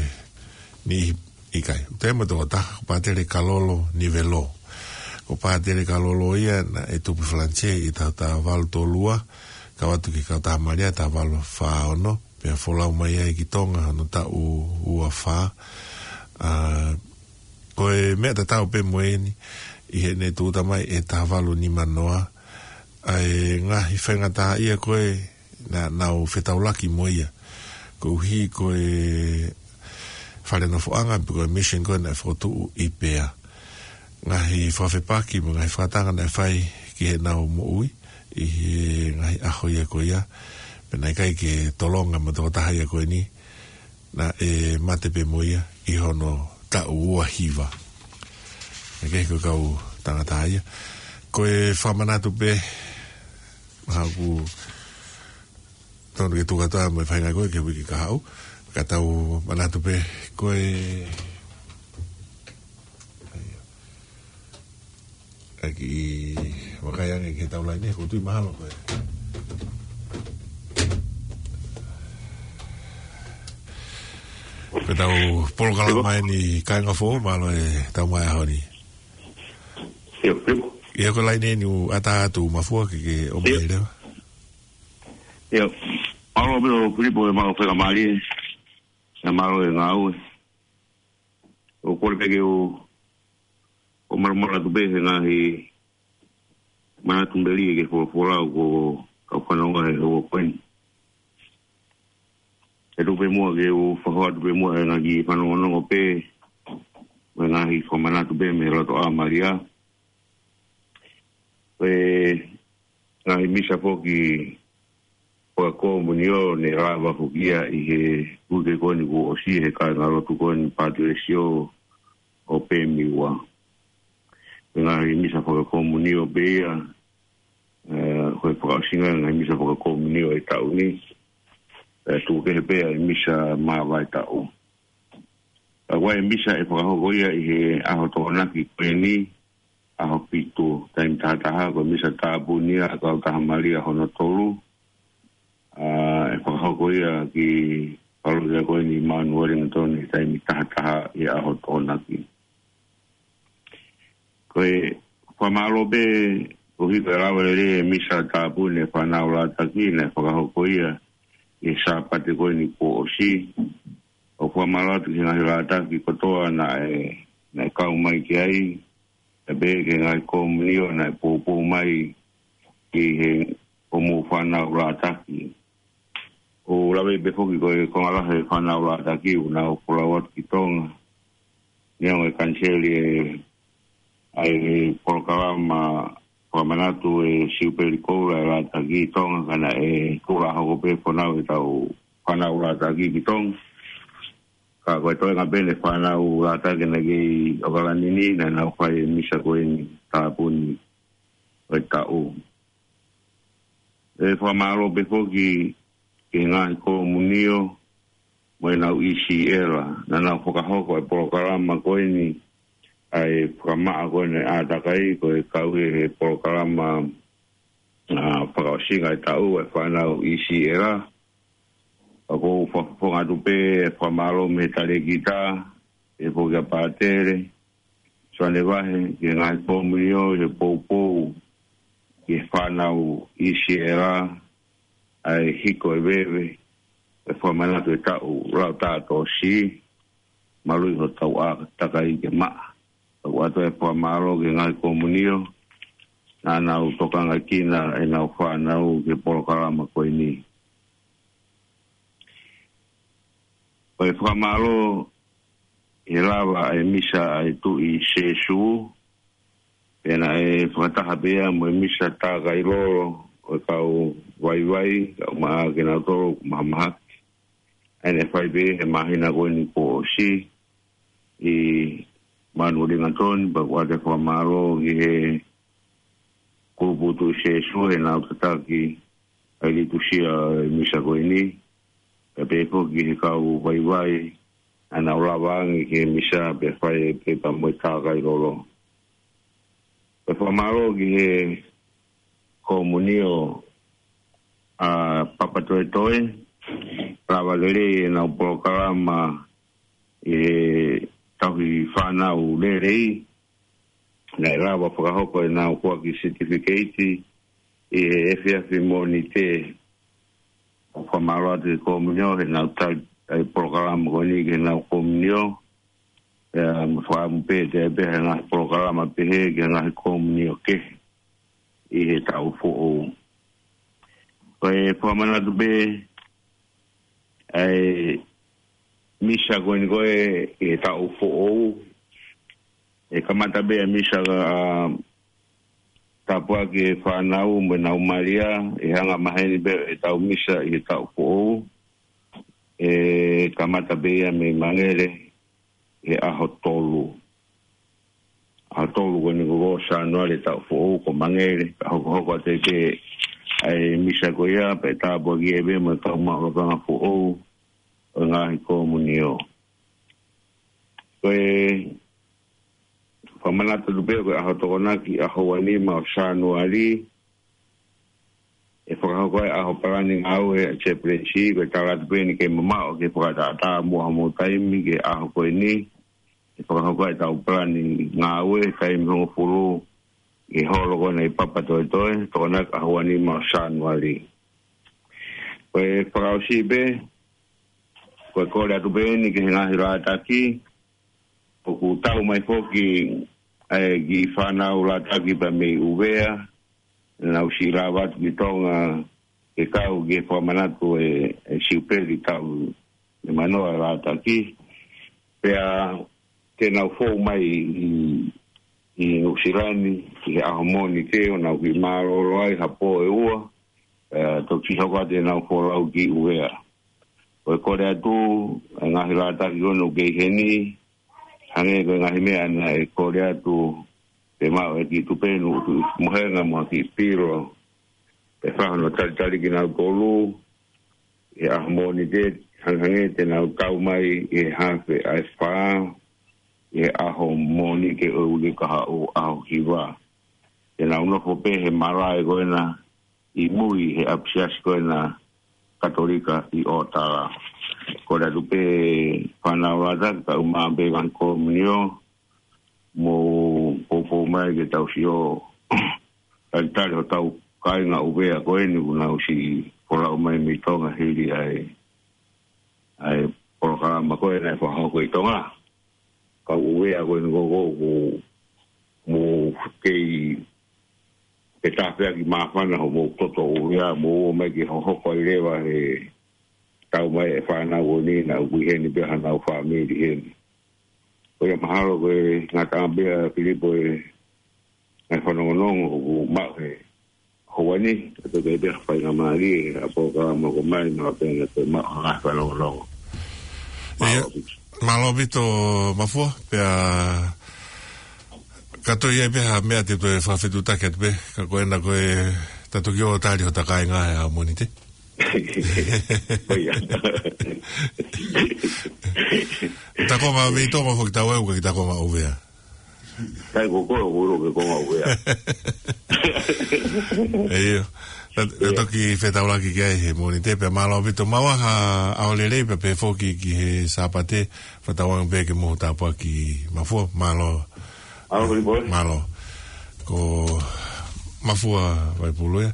niʻihi ʻikai. ʻOku ʻi ai mo e tokotaha, ko Pātele Kalolo Nivelo. Ko Pātele Kalolo ia naʻe tupu ʻi Falanisē ʻi he taʻu taha valu tolu ua, kau atu ki he Kautaha Malia taha valu fā ono, pea folau mai ai ki Tonga hono taʻu ua fā. ʻA, ko e meʻa tatau pē mo eni, ʻi heʻene tūʻuta mai he taha valu nima noa, ʻa e ngaahi faingataʻaʻia ko ē naʻa nau fetaulaki mo ia. Koeʻuhi ko e fale nofoʻanga pe ko e mission ko ē naʻe fokotuʻu ʻi Pea. Ngaahi fakafepaki mo e ngaahi fakatanga naʻe fai ki heʻenau moʻui ʻi he ngaahi ʻaho ia ko ia. Pea naʻe ʻikai ke tolonga mo e tokotaha ia ko eni, naʻe mate pē mo ia ʻi hono taʻu ua hiva. Naʻe kehe ko e kau tangata ia. Ko e fakamanatu pē, haʻaku tonu ke tuku atu mo e faʻahinga ko ē ki he uike kahaʻu. Ka tau manatu pē ko e, ʻa e kiʻi vakai ange ki he tau laine, ko e tui mahalo ko e. Ko e tau polokalama eni Kāinga Foʻou, mālō e tau mai ʻaho ni. ʻIo, Filipo. ʻIo, ko e laine eni ʻoku ʻatā atu, Mafua, ke ke ʻomai leva. ʻIo. Mālō pē ʻo Filipo e mau feka mali. ʻIo, mālō e ngāue. ʻOku ou kole pē ke u, ʻo malamala atu pē he ngaahi manatu meli ke folofola ʻoku ou kau fanongo he ʻaho ko eni. ʻE tuku pē muʻa ke u fakahoko atu pē muʻa e ngaahi fanongonongo pē, mo e ngaahi fakamanatu pē mei he loto ʻa Malia. Ko e ngaahi misa foki fakakomunio ne lava foki ia ʻi he uike ko eni kuo ʻosi he kāingalotu ko eni Pātulesio ʻo Pemiua. Ko e ngaahi misa fakakomunio pē ia, ē, ko e fakaʻosinga e ngaahi misa fakakomunio e taʻu ni. Ē, tuku kehe pē ʻa e misa māvae taʻu. Ka ko e misa ʻe fakahoko ia ʻi he ʻaho Tokonaki ko eni, ʻaho fitu, taimi taha taha, ko e misa tāpuni ʻa e Kautaha Malia hono tolu. ʻA, ʻe fakahoko ia ki he palokia ko eni Mount Wellington he taimi taha taha ʻi he ʻaho Tokonaki. Ko e fakamālō pē, koeʻuhi ko e lava lelei e misa tāpuni e fānau Lātaki naʻe fakahoko ia ʻi he Sāpate ko eni kuo ʻosi. ʻOku fakamālō atu ki he ngaahi Lātaki kotoa naʻe, naʻe kau mai ki ai, pea pehē ki he ngaahi komunio naʻe poupou mai ki he ʻomou fānau Lātaki. ʻOku ou lave pē foki ko e konga lahi e fānau Lātaki ʻoku nau folau atu ki Tonga. Neongo e kaniseli e, ʻa e polokalama fakamanatu e Siupeli Koula e Lātaki ʻi Tonga, ka naʻe kula hoko pē fonau e tau fānau Lātaki ki Tonga. Ka ko e toenga pē eni e fānau Lātaki naʻe kei ʻOkalani ni, naʻa nau fai e misa ko eni tāpuni ʻo e taʻu. ʻE fakamālō pē foki ki he ngaahi komunio mo ʻenau ʻi si ʻela. Naʻa nau fakahoko e polokalama ko eni, ʻa e fakamaʻa ko eni ʻa e ʻātakai, ko e kau ʻi he polokalama, ʻa, fakaʻosinga e taʻu e fānau ʻi si ʻela. ʻOku ou fakafofonga atu pē e fakamālō mei he talēkita, ʻe foki ʻa Pātele Soane Vahe, ki he ngaahi komunio, ʻi he poupou ki he fānau ʻi si ʻela, ʻa e hiko e veve, e fakamanatu e taʻu, lau tātōsi, maluʻi hotau ʻātakai ke maʻa. ʻOatu e fakamālō ki he ngaahi komunio naʻa nau tokangaʻi ʻenau fānau ki he polokalama ko eni. Ko e fakamālō he lava e misa ʻa e Tuʻi Sēsū, pea naʻe fakataha pē ia mo e misa tākai lolo ʻo e kau vaivai, kau maʻa kinautolu ʻoku mahamahaki. ʻA ia naʻe fai pē he māhina ko eni kuo ʻosi ʻi Mount Wellington, pea ʻoku ʻoatu e fakamālō ki he kulupu Tuʻi Sēsū heʻenau tataki ʻa e litūsia e misa ko eni, pea pehē foki ki he kau vaivai naʻa nau lava ange ki he misa pea fai e pepa mo e tākai lolo. Pea fakamālō ki he komunio ʻa Papatoetoe, lava lelei ʻenau polokalama ʻi he tauhi fānau lelei, naʻe lava fakahoko ʻenau kuaki certificate ʻi he efiafi Mōnite. ʻOku fakamālō atu ki he komunio heʻenau tali ʻa e polokalama ko eni ki heʻenau komunio. Pea mo fakamu pē te pē he ngaahi polokalama pehē ki he ngaahi komunio kehe ʻi he taʻu foʻou. Ko e fakamanatu pē ʻa e misa ko eni ko ē ʻi he taʻu foʻou. ʻE kamata pē ʻa e misa ʻa tāpuaki e fānau mo ʻenau malia, ʻe hanga maheni pē ʻetau misa ʻi he taʻu foʻou. ʻE kamata pē ia mei Mangele, ʻi he ʻaho tolu. ʻAho tolu ko eni ko ē ʻo Sānuali taʻu foʻou ko Mangele, ka hokohoko atu pē ʻa e misa ko ia, pea tāpuakiʻi pē mo e kau maʻu lakanga foʻou ʻo e ngaahi komunio. Ko e fakamanatu atu pē ko e ʻaho Tokonaki, ʻaho uanima ʻo Sānuali, ʻe fakahoko ai ʻa e palani ngāue ʻa e Chaplaincy, ko e tala atu pē eni ke mamaʻo ke fakatātā muʻa hoʻomou taimi ki he ʻaho ko eni. ʻE fakahoko ai ʻetau palani ngāue, taimi hongofulu, ʻi he holo ko ena ʻi Papatoetoe, Tokonaki ʻaho uanima ʻo Sānuali. Ko e fakaʻosi pē, ko e kole atu pē eni ki he ngaahi lātaki, ʻoku tau mai foki ʻa e kiʻi fānau lātaki pea mei ʻUvea, naʻa nau siʻi lava atu ki Tonga ke kau ki he fakamanatu e, e Siupeli taʻu nimanoa e lātaki. Pea te nau fou mai ʻi, ʻi Nuʻusila ni, ʻi he ʻaho Mōnite, ʻo nau kiʻi mālōlō ai ha pō ʻe ua, pea toki hoko atu ʻenau folau ki ʻUvea. Ko e kole atu, e ngaahi lātaki ko ena ʻoku kei heni, hangē ko e ngaahi meʻa naʻe kole atu, pea maʻu e kiʻi tupenu, ʻutu mohenga mo e kiʻi pilo, pea fai hono talitali kinautolu, ʻi he ʻaho Mōnite, hangehangē te nau tau mai ʻi he hafe ʻa e fā, ʻi he ʻaho Mōnite ʻo e uike kahaʻu, ʻaho hiva. Te nau nofo pē he malaʻe ko ena, ʻi mui he ʻapisiasi ko ena Katolika ʻi ʻOtala. Kole atu pē fānau lātaki, kae ʻumaʻā pē ngaahi komunio, mou poupou mai ke tau sio talitali hotau kāinga ʻUvea ko eni kuo nau siʻi folau mai mei Tonga hili ʻa e, ʻa e polokalama ko ē naʻe fakahoko ʻi Tonga. Kau ʻUvea ko eni ko ē ʻoku mou kei, ke tāpuaki māfana hoʻomou toto ʻUvea, mou ō mai ke hohoko ai leva he tau mai e fānau ko eni naʻa ʻoku ʻi heni pē hanau fāmili heni. Ko ia mahalo ko e ngataʻanga pē ʻa Filipo e ngaahi fanongonongo ʻoku maʻu he houa ni, ʻe toki ʻi ai pē ha faingamālie ʻa e polokalama ko ē mai, naʻa pē ʻe toe maʻu ha ngaahi fanongonongo. Mālō ʻEpiki. Mālō ʻaupito Mafua, pea ka toe ʻi ai pē ha meʻa te u toe fakafetuʻutaki atu pē, ka ko ena ko ē ta toki ō tali hota kāinga he ʻaho Mōnite. Ko ia. Ta konga mei Tonga foki tau ʻai, ʻoku ʻikai ta konga ʻUvea. Kai ko koe ʻoku ʻilo ke konga ʻUvea. ʻIo. Ta, ta Ia. toki fetaulaki ki ai he Mōnite pea mālō ʻaupito. Maʻu ha ʻaho lelei pea pehē foki ki he Sāpate, fakatauange pē ke mou tāpuaki Mafua, mālō. Mālō, Filipo. Mālō. Ko Mafua Vaipulu ia.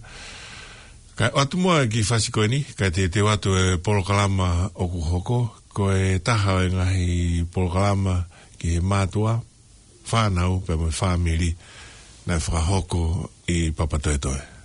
Kae ʻoatu muʻa e kiʻi fasi ko eni, kae teuteu atu e polokalama ʻoku hoko, ko e taha ʻo e ngaahi polokalama ki he mātuʻa, fānau, pea mo e fāmili, naʻe fakahoko ʻi Papatoetoe.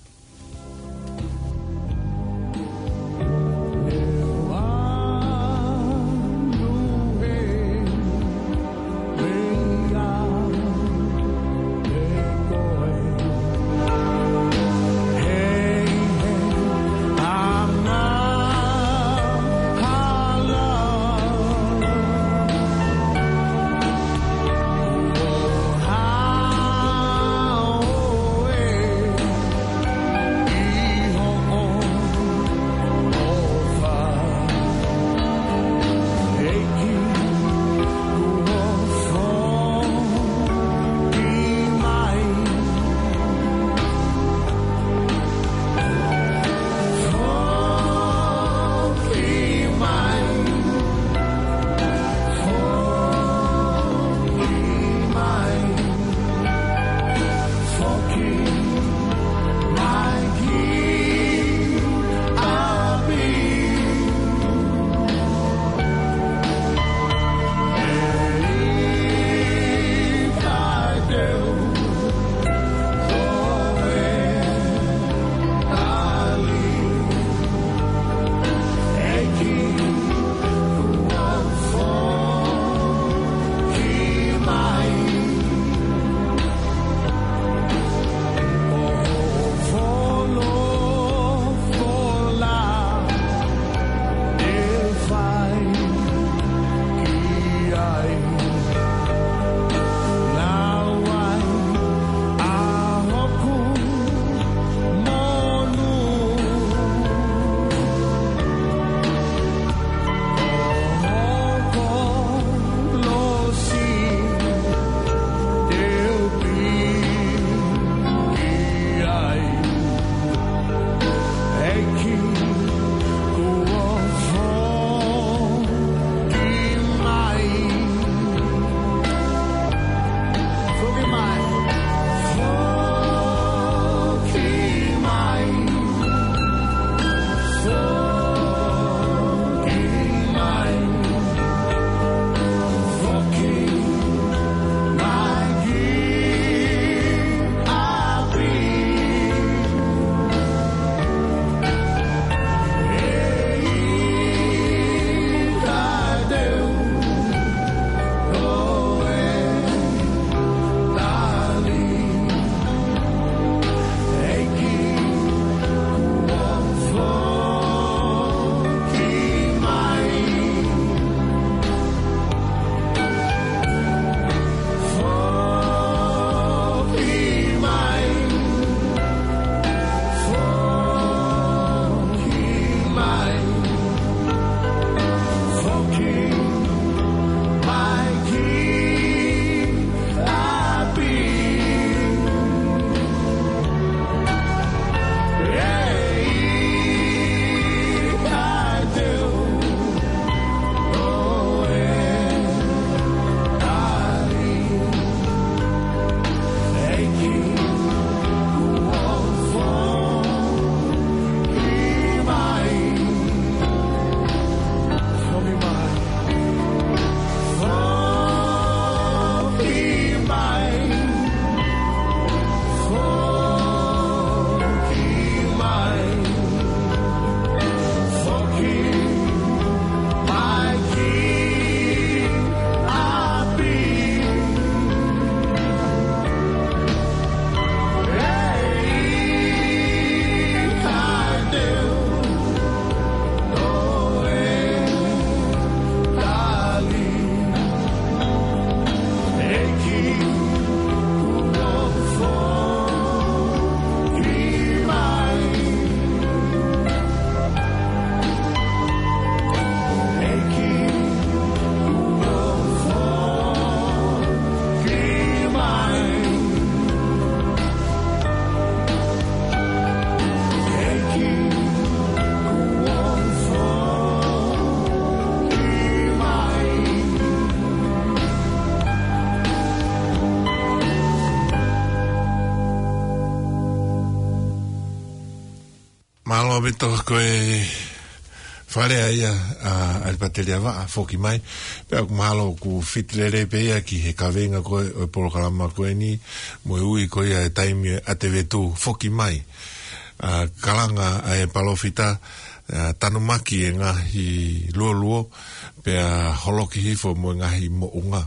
Mito ko e fale ia ʻa ʻAlipateli ʻAvaʻa, Foki Mai. Pea ʻoku mahalo ʻoku fiti lelei pē ia ki he kaveinga ko ē ʻo e polokalama ko eni, mo e ui ko ia e taimi ʻa e vetu, Foki Mai. ʻA, kalanga ʻa e palōfita, ʻa, tanumaki e ngaahi luoluo, pea holoki hifo mo e ngaahi moʻunga.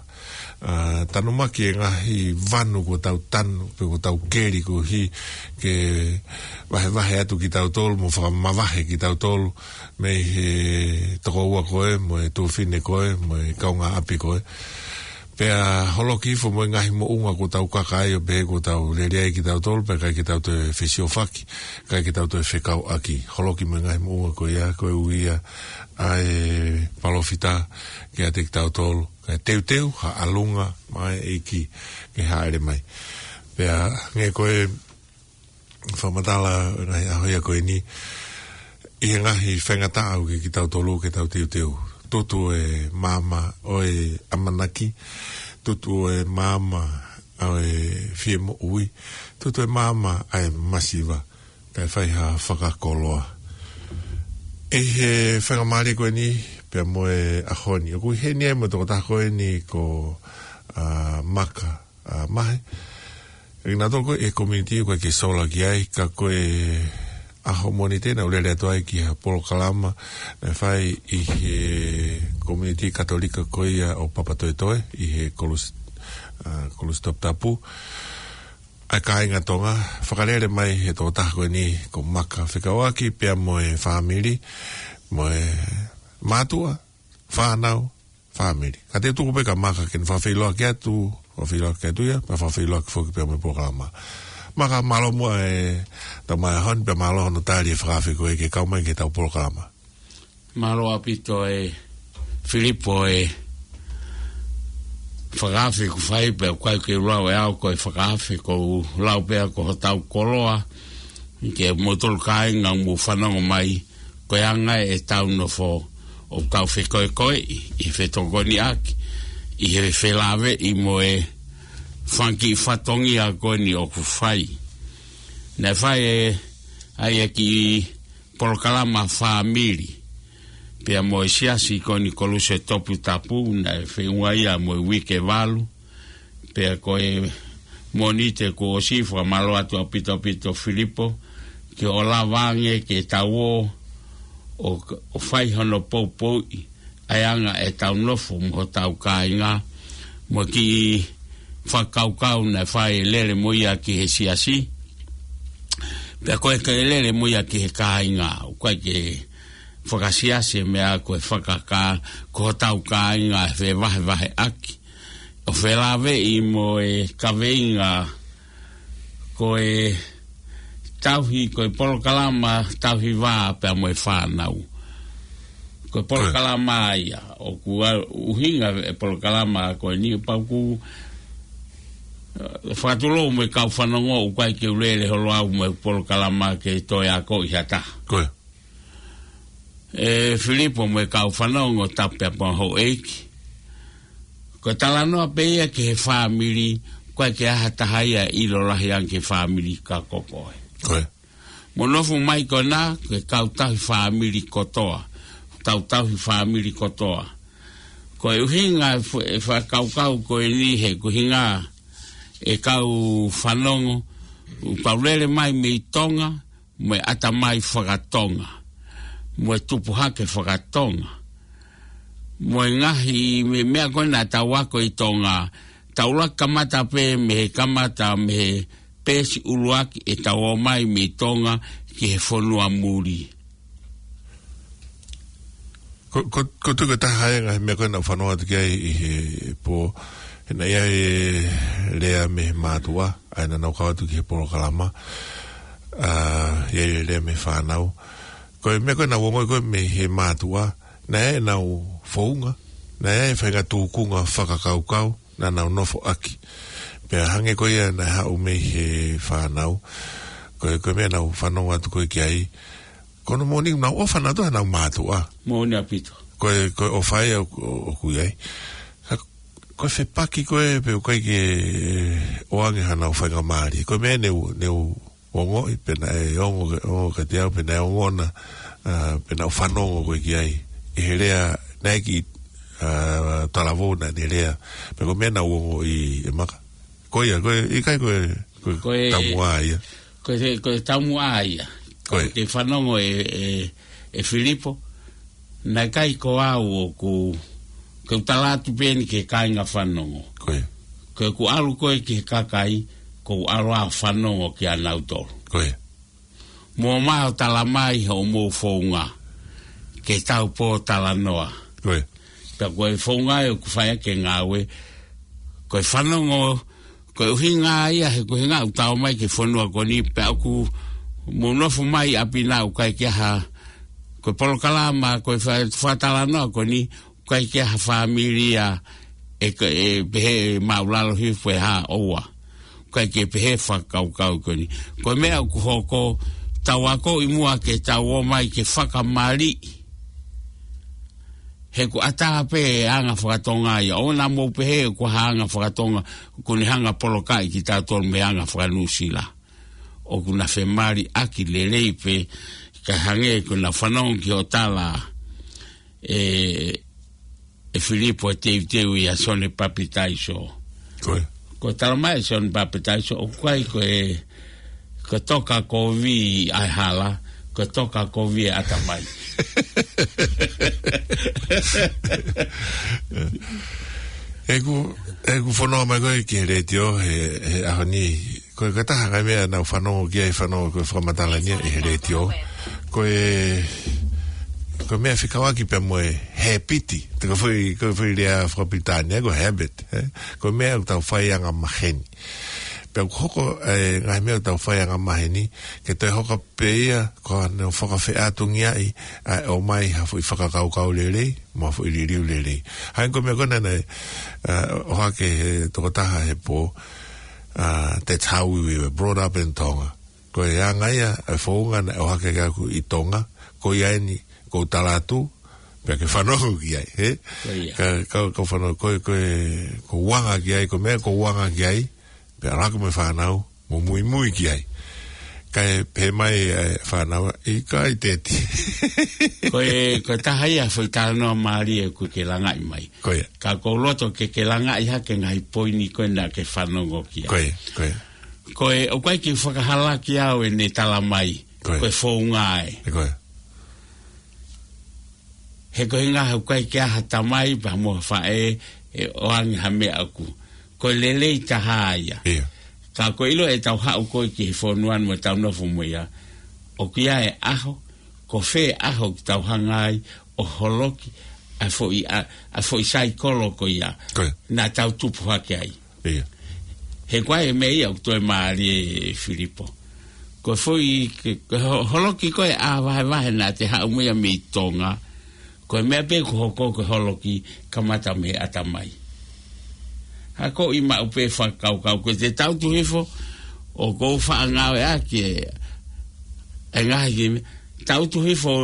ʻA, tanumaki e ngaahi vanu kuo tau tanu, pe kuo tau keli koeʻuhi ke vahevahe atu kitautolu, mo fakamavahe kitautolu, mei he tokoua ko ē, mo e tuofefine ko ē, mo e kaungāʻapi ko ē. Pea holoki hifo mo e ngaahi moʻunga kuo tau kaka ai ʻo pehē kuo tau lele ai kitautolu, pea ʻikai ke tau toe fesiofaki, ʻikai ke tau toe fekauʻaki. Holoki mo e ngaahi moʻunga ko ia, ko e ui ia ʻa e palōfita kiate kitautolu, kae teuteu ha ʻalunga maʻa e ʻEiki ke hāʻele mai. Pea hangē ko e fakamatala ʻo e ngaahi ʻaho ia ko eni, ʻi he ngaahi faingataʻa ʻoku ʻikai ke tau tolu ke tau teuteu. Tutu e maama ʻo e ʻamanaki, tutu e maama ʻo e fie moʻui, tutu e maama ʻa e masiva, kae fai ha fakakoloa. ʻI he faingamālie ko eni, pea mo e ʻaho ni, ʻoku ʻi heni ai mo e tokotaha ko eni ko, ʻa, Maka, ʻa, Mahe. ʻI nautolu ko e community ʻoku ʻikai ke sola ki ai, ka ko e ʻaho Mōnite naʻa ku lele atu ai ki ha polokalama naʻe fai ʻi he community Katolika ko ia ʻo Papatoetoe, ʻi he Kolus-, ʻa, Kolisi Toputapu. ʻA e kāinga Tonga, fakalele mai he tokotaha ko eni ko Maka fekauʻaki pea mo e fāmili, mo e mātuʻa, fānau, fāmili. Ka te u tuku pē kia Maka ke ne fakafeʻiloaki atu, fakafeʻiloaki atu ia, pea fakafeʻiloaki foki pea mo e polokalama. Maka, mālō muʻa e tau mai ʻaho ni, pea mālō hono tali e fakaafe ko ē ke kau mai ki heʻetau polokalama. Mālō ʻaupito ē Filipo e fakaafe kuo fai, pea ʻoku ʻikai ke u lau ʻe au ko e fakaafe, ʻoku ou lau pē au ko hotau koloa, ke moutolu kāinga ʻoku mou fanongo mai, ko e anga ʻetau nofo ʻoku tau fekoekoeʻi ʻi he fetokoniʻaki, ʻi he felāveʻi mo e fanga kiʻi fatongia ko eni ʻoku fai. Naʻe fai ʻe, ʻa e kiʻi polokalama fāmili pea mo e siasi ko eni Kolisi Toputapu, naʻe feʻunga ia mo e uike valu, pea ko e Mōnite kuo ʻosi, fakamālō atu ʻaupito ʻaupito Filipo, ke ʻoua lava ange ke tau ō ʻo, ʻo fai hono poupouʻi ʻa e anga ʻetau nofo mo hotau kāinga, mo e kiʻi fakakaukau naʻe fai, lele mo ia ki he siasi, pea ko e ke lele mo ia ki he kāinga, ʻoku ʻikai ke fakasiasi e meʻa, ko e fakakā, ko hotau kāinga ʻe fevahevaheʻaki. ʻO felāveʻi mo e kaveinga ko e tauhi, ko e polokalama tauhi vā pea mo e fānau. Ko e polokalama ia, ʻoku ʻa-, ʻuhinga e polokalama ko eni pau ʻoku, ʻe, fakatulou mo e kau fanongo, ʻoku ʻikai ke u lele holo au mo e polokalama ke toe akoʻi ha taha. Ko e ʻe Filipo mo e kau fanongo, tapu pea mo houʻeiki. Ko e talanoa pē ia ki he fāmili, ʻoku ʻikai ke ʻi ai ha taha ia ʻilo lahi ange ki he fāmili ka ko koe. Ko e. Mou nofo mai ko ena, ko e kau tauhi fāmili kotoa, tau tauhi fāmili kotoa. Ko e ʻuhinga e f-, e fakakaukau ko eni he ko e ʻuhinga e kau fanongo, ʻoku tau lele mai mei Tonga, mo e ʻatamai fakatonga, mo e tupu hake fakatonga, mo e ngaahi me-, meʻa ko ē naʻa tau ako ʻi Tonga, tau laka kamata pē mei he kamata, mei he peesi ʻuluaki ʻetau ō mai mei Tonga ki he fonua muli. Ko, ko, ko e tuʻu ko e taha ia e ngaahi meʻa ko ē naʻa ku fanongo atu ki ai ʻi he pō, he naʻe ʻi ai e lea mei he mātuʻa, ʻa ia naʻa nau kau atu ki he polokalama, ʻa, ʻi ai e lea mei he fānau. Ko e meʻa ko ē naʻa ku ongoʻi ko ē mei he mātuʻa, naʻe ʻi ai ʻenau founga, naʻe ʻi ai e faʻahinga tūkunga fakakaukau naʻa nau nofo ʻaki. Pea hangē ko ia naʻe haʻu mei he fānau, ko e, ko e meʻa naʻa ku fanongo atu ko ē ki ai, ko hono moʻoni naʻa nau ʻofa nautolu heʻenau mātuʻa. Moʻoni ʻaupito. Ko e, ko e ʻofa ia ʻo, ʻo, ʻoku ʻi ai. Ka ko e fepaki ko ē pe ʻoku ʻikai ke ʻoange haʻanau faingamālie. Ko e meʻa ne u, ne u ongoʻi, pe naʻe ongo, ongo kiate au, pe naʻe ongona, ʻa, pe naʻa ku fanongo ko ē ki ai. ʻI he lea, naʻe ʻikai, ʻa, talavou naʻa ne lea. Pea ko e meʻa naʻa ku ongoʻi ʻe Maka. Ko ia, ko e, ʻikai ko e, ko e Ko e, taumuʻa ia. ko e, ko e taumuʻa ia. Ko e. Ke fanongo ʻe, ʻe, ʻe Filipo. Naʻe ʻikai ko au ʻoku, ke u tala atu pē eni ki he kāinga fanongo. Ko e. Ko ʻeku ʻalu ko ē ki he kakai, ko u ʻalu ʻo fanongo kia nautolu. Ko e. Mou ō mai ʻo tala mai hoʻomou founga, ke tau pōtalanoa. Ko e. Pea ko e founga ʻoku fai ʻaki e ngāue, ko e fanongo, ko e ʻuhinga ia he ko e ʻuhinga ʻoku tau ō mai ki he fonua ko eni pea ʻoku mou nofo mai ʻi ʻapi na ʻoku ʻikai ke ʻi ai ha, ko e polokalama, ko e fa-, fakatalanoa ko eni, ʻikai ke ʻi ai ha fāmili ia ʻe, ʻe pehē māʻulalo hifo pe hā ʻoua. ʻIkai ke pehē fakakaukau ko eni. Ko e meʻa ʻoku hoko, tau akoʻi muʻa ke tau ō mai ke fakamaliʻi. He ʻoku ʻatā pē ʻa e anga fakatonga ia. ʻOua naʻa mou pehē ʻoku ʻi ai ha anga fakatonga, ʻoku ne hanga ʻo polokaʻi kitautolu mei he anga fakaNuʻusila. ʻOku na femaliʻaki lelei pē, kae hangē ko ʻena fanongo ki hoʻo tala ʻe, ʻe Filipo e teuteu ʻia Sione Papitaiso. Ko e. Ko e tala mai ʻe Sione Papitaiso, ʻoku ʻikai ko e, ko e toka kovi ʻa e hala, ko e toka kovi e ʻatamai. ʻEku, ʻeku fanongo mai ko ē ki he letiō, he, he ʻaho ni, ko e, ko e taha ngaahi meʻa naʻa ku fanongo ki ai, fanongo ko e fakamatala ni ia ʻi he letiō. Ko e, ko e meʻa fekauʻaki pea mo e hēpiti. Te ko e foʻi, ko e foʻi lea fakapilitānia, ko e habit, ē? Ko e meʻa ʻoku tau fai angamaheni. Pea ʻoku hoko, ē, ngaahi meʻa ʻoku tau fai angamaheni, ke toe hoko pē ia, ko ʻene fakafeʻātungiaʻi, ʻa e ʻomai ha foʻi fakakaukau lelei, mo ha foʻi liliu lelei. Hangē ko e meʻa ko ena naʻe, ē, ʻohake he tokotaha he pō, ā, that's how we were brought up in Tonga. Ko e anga ia, e founga naʻe ʻohake ʻaki ʻi Tonga, ko ia eni, ʻoku ou tala atu, pea ke fanongo ki ai, ē? Ko ia. Ka, ka, ka fanongo, ko e, ko e, ʻoku ou anga ki ai, ko e meʻa ʻoku ou anga ki ai, pea ʻalu ʻo ako mo e fānau, mo muimui ki ai. Kae pehē mai e fānau, ʻikai teti. Ko e, ko e taha ia foʻi talanoa mālie ʻoku ke langaʻi mai. Ko ia. Ka ʻoku ou loto ke ke langaʻi hake ngaahi poini ko ē naʻa ke fanongo ki ai. Ko ia, ko ia. Ko e, ʻoku ʻikai ke fakahalaki au ʻene tala mai. Ko ia. Ko e founga ē. Ko ia. He ko e ʻuhinga he ʻoku ʻikai ke ʻi ai ha tamai pea mo ha faʻē ʻe ʻoange ha meʻa ʻoku. Ko e lelei taha ia. ʻIo. Ka ko e ʻilo ʻetau haʻu ko ē ki he fonua ni mo ʻetau nofo mo ia. ʻOku ʻi ai e ʻaho, ko fē ʻaho ʻoku tau hanga ai ʻo holoki ʻa e foʻi, ʻa, ʻa e foʻi saikolo ko ia. Ko ia. Naʻa tau tupu hake ai. ʻIo. He ko e meʻa ia ʻoku toe mālie ʻe Filipo. Ko e foʻi, ke, ke ho-, holoki ko ē ʻa e vahevahe naʻa te haʻu mo ia mei Tonga. Ko e meʻa pē ʻoku hoko ko e holoki kamata mei he ʻatamai. Akoʻi maʻu pē fakakaukau ko ē te tau tuʻu hifo, ʻoku ou faʻa ngāueʻaki e, e ngaahi ki me-, tau tuʻu hifo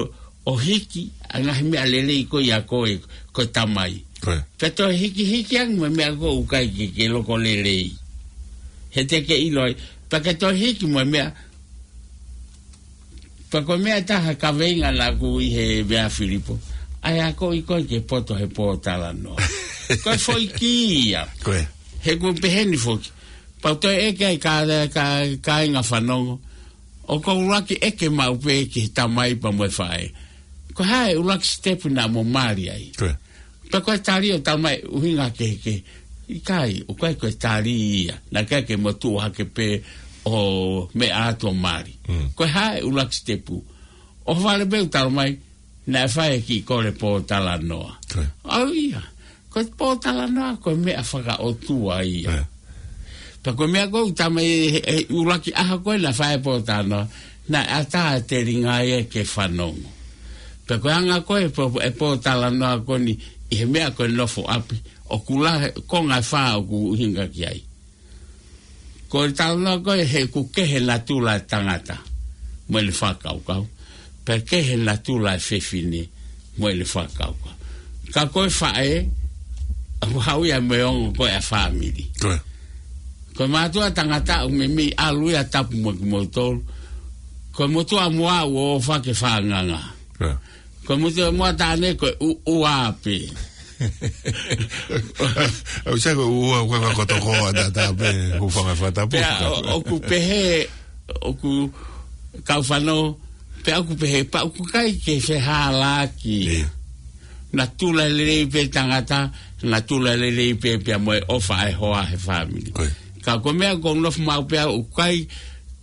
ʻo hiki, ʻa e ngaahi meʻa lelei ko ia ko e, ko e tamai. Ko ia. Pea toe hikihiki ange mo e meʻa ʻoku ʻikai ke, ke loko lelei. He te ke ʻilo ai, pea ke toe hiki mo e meʻa, pea ko e meʻa taha kaveinga naʻa ku ʻi he meʻa Filipo. ʻA e akoʻi ko ē ke poto he pōtalanoa. Ko e foʻi kī ia. Ko ia. He ʻoku pehē ni foki. Pea u toe ʻeke ai ka, ka, kāinga fanongo. ʻOku ou ʻuluaki ʻeke maʻu pē ki he tamai pea mo e faʻē. Ko e hā e ʻuluaki sitepu naʻa mo mali ai. Ko ia. Pea ko e tali ʻo tala mai ʻuhinga kehekehe. ʻIkai, ʻoku ʻikai ko e tali ia. Naʻe ʻikai ke mo tuʻu hake pē ʻo meʻa atu ʻo mali. Mm. Ko e hā e ʻuluaki sitepu. ʻOhovale pē ʻo tala mai, naʻe fai e kiʻi kole pōtalanoa. Ko ia. ʻAu ia. Ko e pōtalanoa, ko e meʻa fakaʻotua ia. Ko ia. Pea ko e meʻa ko ē ʻoku tala mai he, he ʻuluaki ʻaho ko ē naʻe fai e pōtalanoa, naʻe ʻatā e telinga ia ke fanongo. Pea ko e anga ko ē pō-, e pōtalanoa ko eni ʻi he meʻa ko e nofo ʻapi, ʻoku lahi e konga ʻe fā ʻoku ʻuhinga ki ai. Ko e talanoa ko ē he ʻoku kehe natula e tangata mo ʻene fakakaukau. Pea kehe natula e fefine mo ʻene fakakaukau. Ka ko e faʻē, ʻoku haʻu ia mo e ongo ko ē ʻa e fāmili. Ko ia. Ko e mātuʻa tangata ʻoku meimei ʻalu ia ʻo tapu mo kimoutolu. Ko e motuʻa moa ʻoku ʻofa ke fānganga. Ko e motuʻa moa taʻane ko e ʻu-, ʻuʻua pē. ʻOku sai ko e ʻuʻua, ko e ka koto ko ʻata ʻata pē, hūfanga he fakatapu. Pea ʻo-, ʻoku pehē, ʻoku kau fanongo, pea ʻoku pehē, pea ʻoku ʻikai ke fehālaaki. Naʻa tula lelei pē tangata, naʻa tula lelei pē pea mo e ʻofa ʻa e hoa he fāmili. Ka ko e meʻa ʻoku ou nofo maʻu pē au ʻoku ʻikai,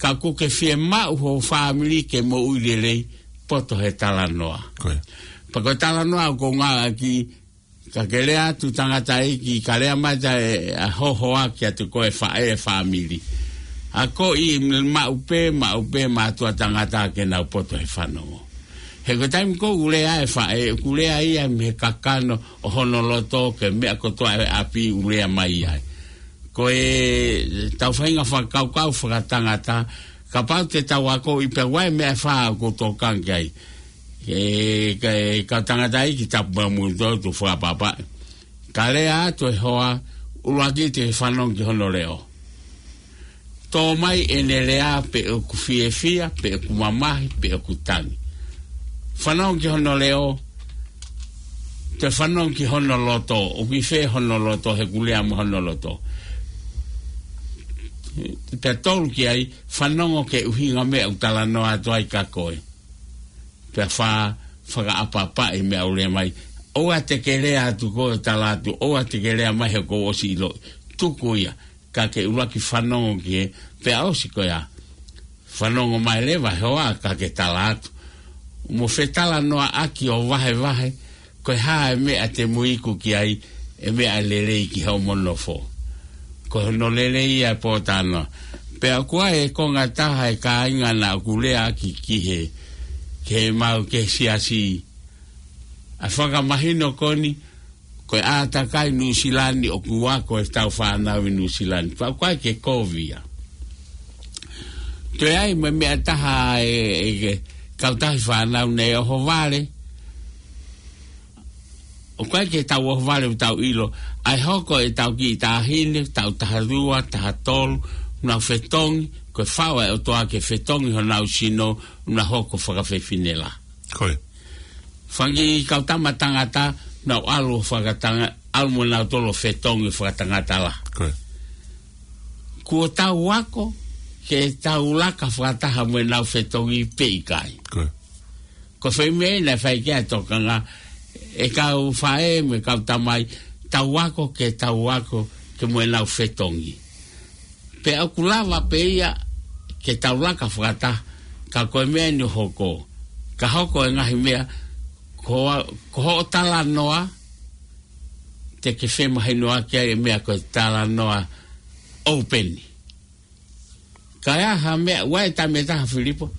ka ʻoku ke fiemaʻu ho fāmili ke moʻui lelei, poto he talanoa. Pea ko e talanoa ʻoku ou ngāueʻaki, ka ke lea atu tangataʻeiki, ka lea mai ʻa e, ʻa ho hoa kiate koe faʻē fāmili. ʻA ko e maʻu pē, maʻu pē mātuʻa tangata ke nau poto he fanongo. He ko e taimi ʻoku lea e faʻē, ʻoku lea ia mei he kakano ʻo hono loto, ko e meʻa kotoa ʻi ʻapi ʻoku lea mai ai. Ko e tau faʻahinga fakakaukau fakatangata, kapau te tau akoʻi pē ʻa e meʻa ʻe fā ʻoku ou tokanga ki ai. Ke, ke, ka tangataʻeiki tapu mo kimoutolu, fakapapauʻi. Ka lea atu e hoa, ʻuluaki te fanongo ki hono leʻo. Tō mai ʻene lea pe ʻoku fiefia, pe ʻoku mamahi, pe ʻoku tangi. Fanongo ki hono leʻo, te fanongo ki hono loto, ʻoku ʻi fē hono loto, he ʻoku lea mei hono loto. Pea tolu ki ai, fanongo ki he ʻuhinga meʻa ʻoku talanoa atu ai kia koe. Pea fā, fakaʻapaʻapaʻi meʻa ʻoku lea mai. ʻOua te ke lea atu koe ʻo tala atu, ʻoua te ke lea mai he kuo u ʻosi ʻiloʻi. Tuku ia, ka ke ʻuluaki fanongo ki he, pea ʻosi ko ia. Fanongo mai leva he hoa ka ke tala atu. Mo fetalanoaʻaki ʻo vahevahe, ko e hā e meʻa te mou iku ki ai, e meʻa lelei ki hoʻomo nofo. Ko hono lelei ia e pōtalanoa. Pea ʻoku ʻi ai e konga ʻe taha e kāinga naʻa ku lea ki, ki he, ke mau ke siasi. ʻA e fakamahino ko eni, ko e ʻātakai Nuʻusila ni ʻoku ako ʻetau fānau ʻi Nuʻusila ni. Pea ʻoku ʻikai ke kovi ia. Toe ʻi ai mo e meʻa ʻe taha e, e ke kautahi fānau naʻe ʻohovale. ʻOku ʻikai ke tau ʻohovale ʻo tau ʻilo. ʻA e hoko ʻetau kiʻi taʻahine, taʻu taha ua, taha tolu, nau fetongi, ko e faʻu ʻa e ʻOtua ke fetongi honau sino, nau hoko fakafefine lahi. Fanga kiʻi kau tama tangata, nau ʻalu fakatanga-, ʻalu mo nautolu ʻo fetongi fakatangata lahi. Kuo tau ako, ke tau laka fakataha mo ʻenau fetongi pe ʻikai. Ko e foʻi meʻa ia naʻe fai ki ai e tokanga, e kau faʻē mo e kau tamai, tau ako ke tau ako ke mo ʻenau fetongi. Pea ʻoku lava pē ia ke tau laka fakataha, ka ko e meʻa eni ʻoku hoko. Ka hoko e ngaahi meʻa, ko, ko hoʻo talanoa, te ke femahinoʻaki ai e meʻa ko e talanoa open. Ka ʻi ai ha meʻa, ʻoku ʻi ai e taimi ʻe taha Filipo,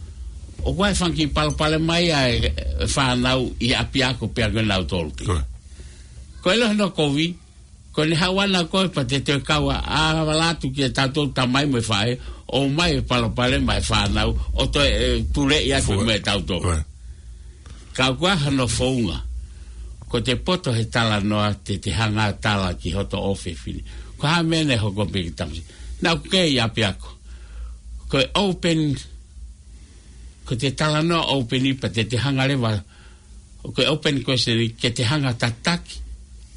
ʻoku ʻi ai e fanga kiʻi palopalema ia e, e fānau ʻi ʻapiako pea ko nautolu pē. Ko e. Ko e ʻilo hono kovi, ko ʻene haʻu ʻana koe pea te te kau ʻo ʻalu atu kia tautolu tamai mo e faʻē, ʻomai e palopalema e fānau, ʻo toe, e, tuleʻi atu mo e tautolu. Ko e. Ka ʻoku ʻi ai hano founga. Ko ʻete poto he talanoa te te hanga ʻo tala ki hoto ʻofefine. Ko e hā e meʻa naʻe hoko pē ki he tamasiʻi. Naʻa ku kei ʻapiako. Ko e open, ko ʻete talanoa open pea te te hanga leva. Ko e open question ke te hanga ʻo tataki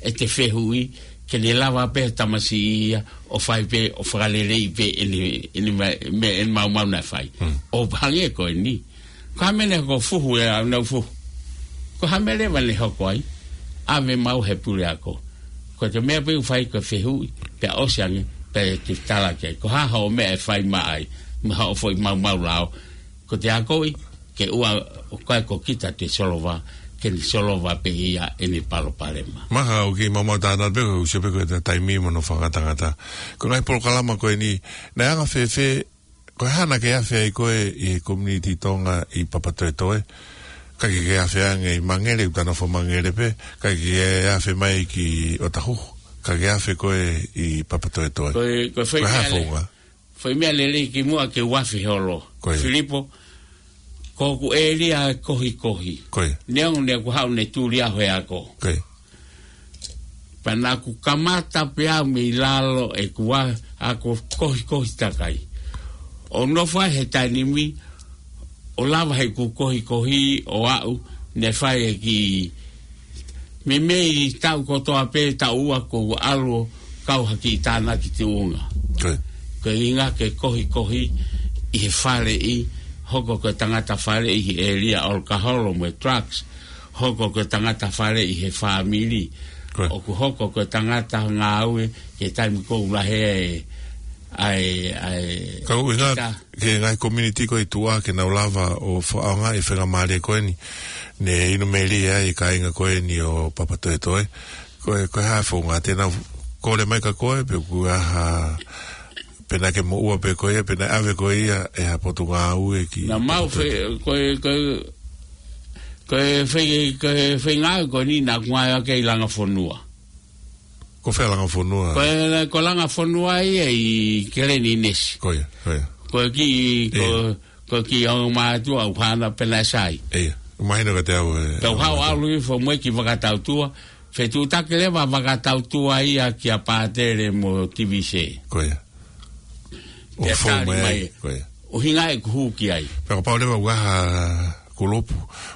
ʻete fehuʻi, ke ne lava pē tamasiʻi ia, ʻo fai pē, ʻo fakaleleiʻi pē ʻene, ʻene ma-, meʻa, ʻene maumau naʻe fai. ʻO hangē ko eni. Ko e hā e meʻa naʻe hoko fuhu e au nau fuhu. Ko e hā e meʻa leva naʻe hoko ai. ʻAve maʻu he puleako. Ko ʻete meʻa pē ʻoku fai ko e fehuʻi, pea ʻosi ange, pea te tala ki ai. Ko e hā hoʻo meʻa ʻe fai maʻa ai, mo hoʻo foʻi maumau lao. Ko ʻete akoʻi, ke ʻoua, ʻoku ʻikai ko kita te solova, ke ne solova pē ia ʻene palopalema. Mahalo ʻoku kiʻi maumau tānaki pē ko e ʻusi pē ko e taimi mo hono fanga tangata. Ko e ngaahi polokalama ko eni, naʻe anga fēfē, ko e hā naʻa ke afe ai koe ʻi he community Tonga ʻi Papatoetoe. ʻIkai ke ke afe ange ʻi Mangere, ʻoku ta nofo Mangere pē, ʻikai ke ke afe mai ki ʻŌtāhuhu, ka ke afe koe ʻi Papatoetoe. Ko e, ko e foʻi meʻa le-, foʻi meʻa lelei kimuʻa ke u afe holo. Ko e. Filipo, ko hoku ʻēlia ʻe kohikohi. Ko e. Neongo naʻa ku haʻu ʻo ne tuli au he ako. Ko e. Pea naʻa ku kamata pē au mei lalo ʻeku ako kohikohi takai. ʻO nofo ai he taimi ni, ʻo lava heʻeku kohikohi ʻo aʻu, ne fai e kiʻi meimei taʻu kotoa pē taʻu ua ʻoku ou ʻalu ʻo kau ha kiʻi tānaki tuʻunga. Ko e. Ko e ʻuhinga ke kohikohi ʻi he faleʻi, hoko ko e tangata faleʻi ʻi he ʻēlia ʻalukaholo mo e drugs, hoko ko e tangata faleʻi he fāmili. Ko e. ʻOku hoko ko e tangata ngāue ki he taimi ʻoku lahi ai e, ai, ai, Ka ʻuhinga kita. Ki he ngaahi community ko ē ʻi tuʻa ke nau lava ʻo fakaʻaongaʻi e faingamālie ko eni, ne inu melie ai e kāinga ko eni ʻo Papatoetoe. Ko e, ko e hā e founga te nau kole mai kia koe, pe ko e hā, pe naʻa ke moʻua pē koe ia, pe naʻe ʻave koe ia ʻe ha potungāue ki Naʻa mau Papatoetoe. Fe-, ko e, ko e, ko e fe-, ko e feinga ko eni naʻa ku ngāue ʻaki ʻi Langafonua. Ko fē Langafonua? Ko e, ko Langafonua ia ʻi Keleninesi. Ko ia, ko ia. Ko e kiʻi, ko, Ia. ko e kiʻi ongo mātuʻa ʻoku hana pē naʻe sai. Ia, ʻoku mahino kiate au e Pea u hau ʻalu hifo mo e kiʻi vakatautua, fetuʻutaki leva vakatautua ia kia Pātele mo Tivise. Ko ia. ʻO Pea fou tali mai mai, e ko ia. ʻuhinga ʻeku hū ki ai. Pea kapau leva ʻoku ʻi ai ha kulupu,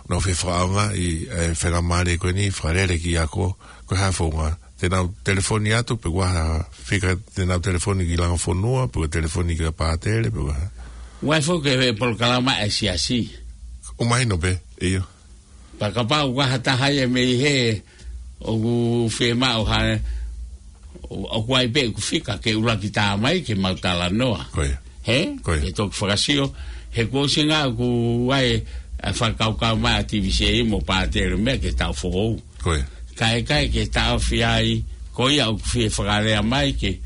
nau fie fakaʻaongaʻi e faingamālie ko eni, fakalele ki he ako, ko e hā e founga. Te nau telefoni atu, pe ʻoku ʻi ai ha fika te nau telefoni ki Langafonua, pe ko e telefoni kia Pātele, pe ʻoku ʻi ai ha. ʻOku ʻi ai foki e polokalama ʻa e siasi. ʻOku mahino pē, ʻio. Pea kapau ʻoku ʻi ai ha taha ia mei hē, ʻoku fiemaʻu ha, ʻoku ʻi ai pē ʻeku fika ke ʻuluaki tā mai ke mau talanoa. Ko ia. Hē? Ko ia. Ke toki fakasio, he kuo ʻosi ngā ʻoku ʻi ai e fakakaukau mai ʻa Tivise mo Pātele meʻa ke tau foʻou. Ko ia. Kae, kae ke taʻofi ai, ko ia ʻoku fie fakalea mai ke,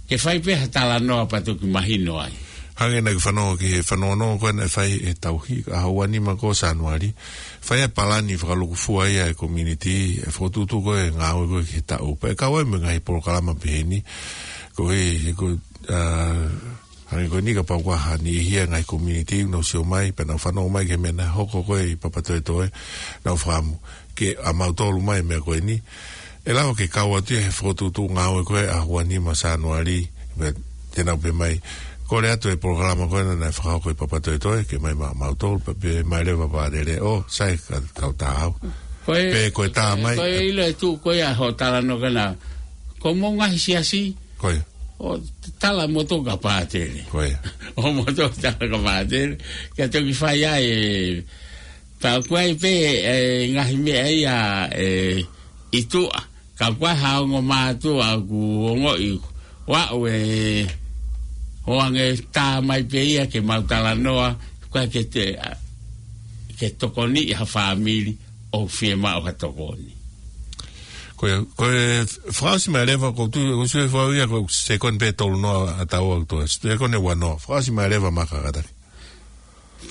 ke fai pē ha talanoa pea toki mahino ai. Hangē naʻa ke fanongo ki he fanongonongo ko ē naʻe fai he tauhi, ʻaho ua nima ko Sānuali. Fai e palani fakalūkufua ia e community, e fokotuʻutuʻu ko ē ngāue ko ē ki he taʻu. Pea kau ai mo e ngaahi polokalama pehē ni, ko e, ko, ā, hangē ko eni kapau ʻoku ʻi ai ha niʻihi ʻi he ngaahi community, nau sio mai, pea nau fanongo mai ki he meʻa naʻe hoko ko ē ʻi Papatoetoe, nau fakaʻamu ke ʻa mautolu mai meʻa ko eni. ʻE lava ke kau atu ia he fokotuʻutuʻu ngāue ko ē ʻaho ua nima Sānuali, pea te nau pehē mai, kole atu e polokalama ko ē naʻe fakahoko ʻi Papatoetoe, ke mai maʻa mautolu, pea pehē mai leva Pātele, ʻo, sai ka, kau tā au. Ko e, Pe ko e tā mai. ko e ʻilo e tuʻu ko ia hoʻo talanoa ko ena. Ko hoʻomou ngaahi siasi, Ko ia. ʻo tala moutolu kia Pātele. Ko ia. ʻO moutolu tala kia Pātele. Kia toki fai ai e, pea ʻoku ʻi ai pē e ngaahi meʻa ia e, ʻi tuʻa. Ka ʻoku ʻi ai ha ongo mātuʻa ʻoku ongoʻi ʻoku ʻi ai e, ʻoange tā mai pē ia ke mau talanoa, ʻoku ʻikai ke te, ke tokoniʻi ha fāmili ʻoku fiemaʻu ha tokoni. Ko e, ko e fakaʻosi mai leva, ko tu, ko sue fau ia, ko e sekoni pē tolu noa ʻa taua ʻoku toe. Sekoni ua noa. Fakaʻosi mai leva Maka Kataki.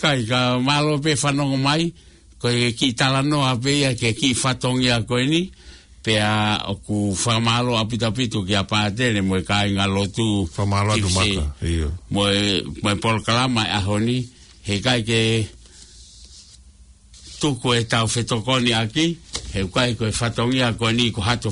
Kai ka mālō pē fanongo mai, ko e kiʻi talanoa pē ia ki he kiʻi fatongia ko eni, pea ʻoku fakamālō ʻaupito ʻaupito kia Pātele mo e kāinga lotu Fakamālō atu Tivise. Maka, ʻio. Mo e, mo e polokalama e ʻaho ni, he ʻikai ke tuku e tau fetokoniʻaki, he ʻoku ʻikai ko e fatongia ko eni ko hato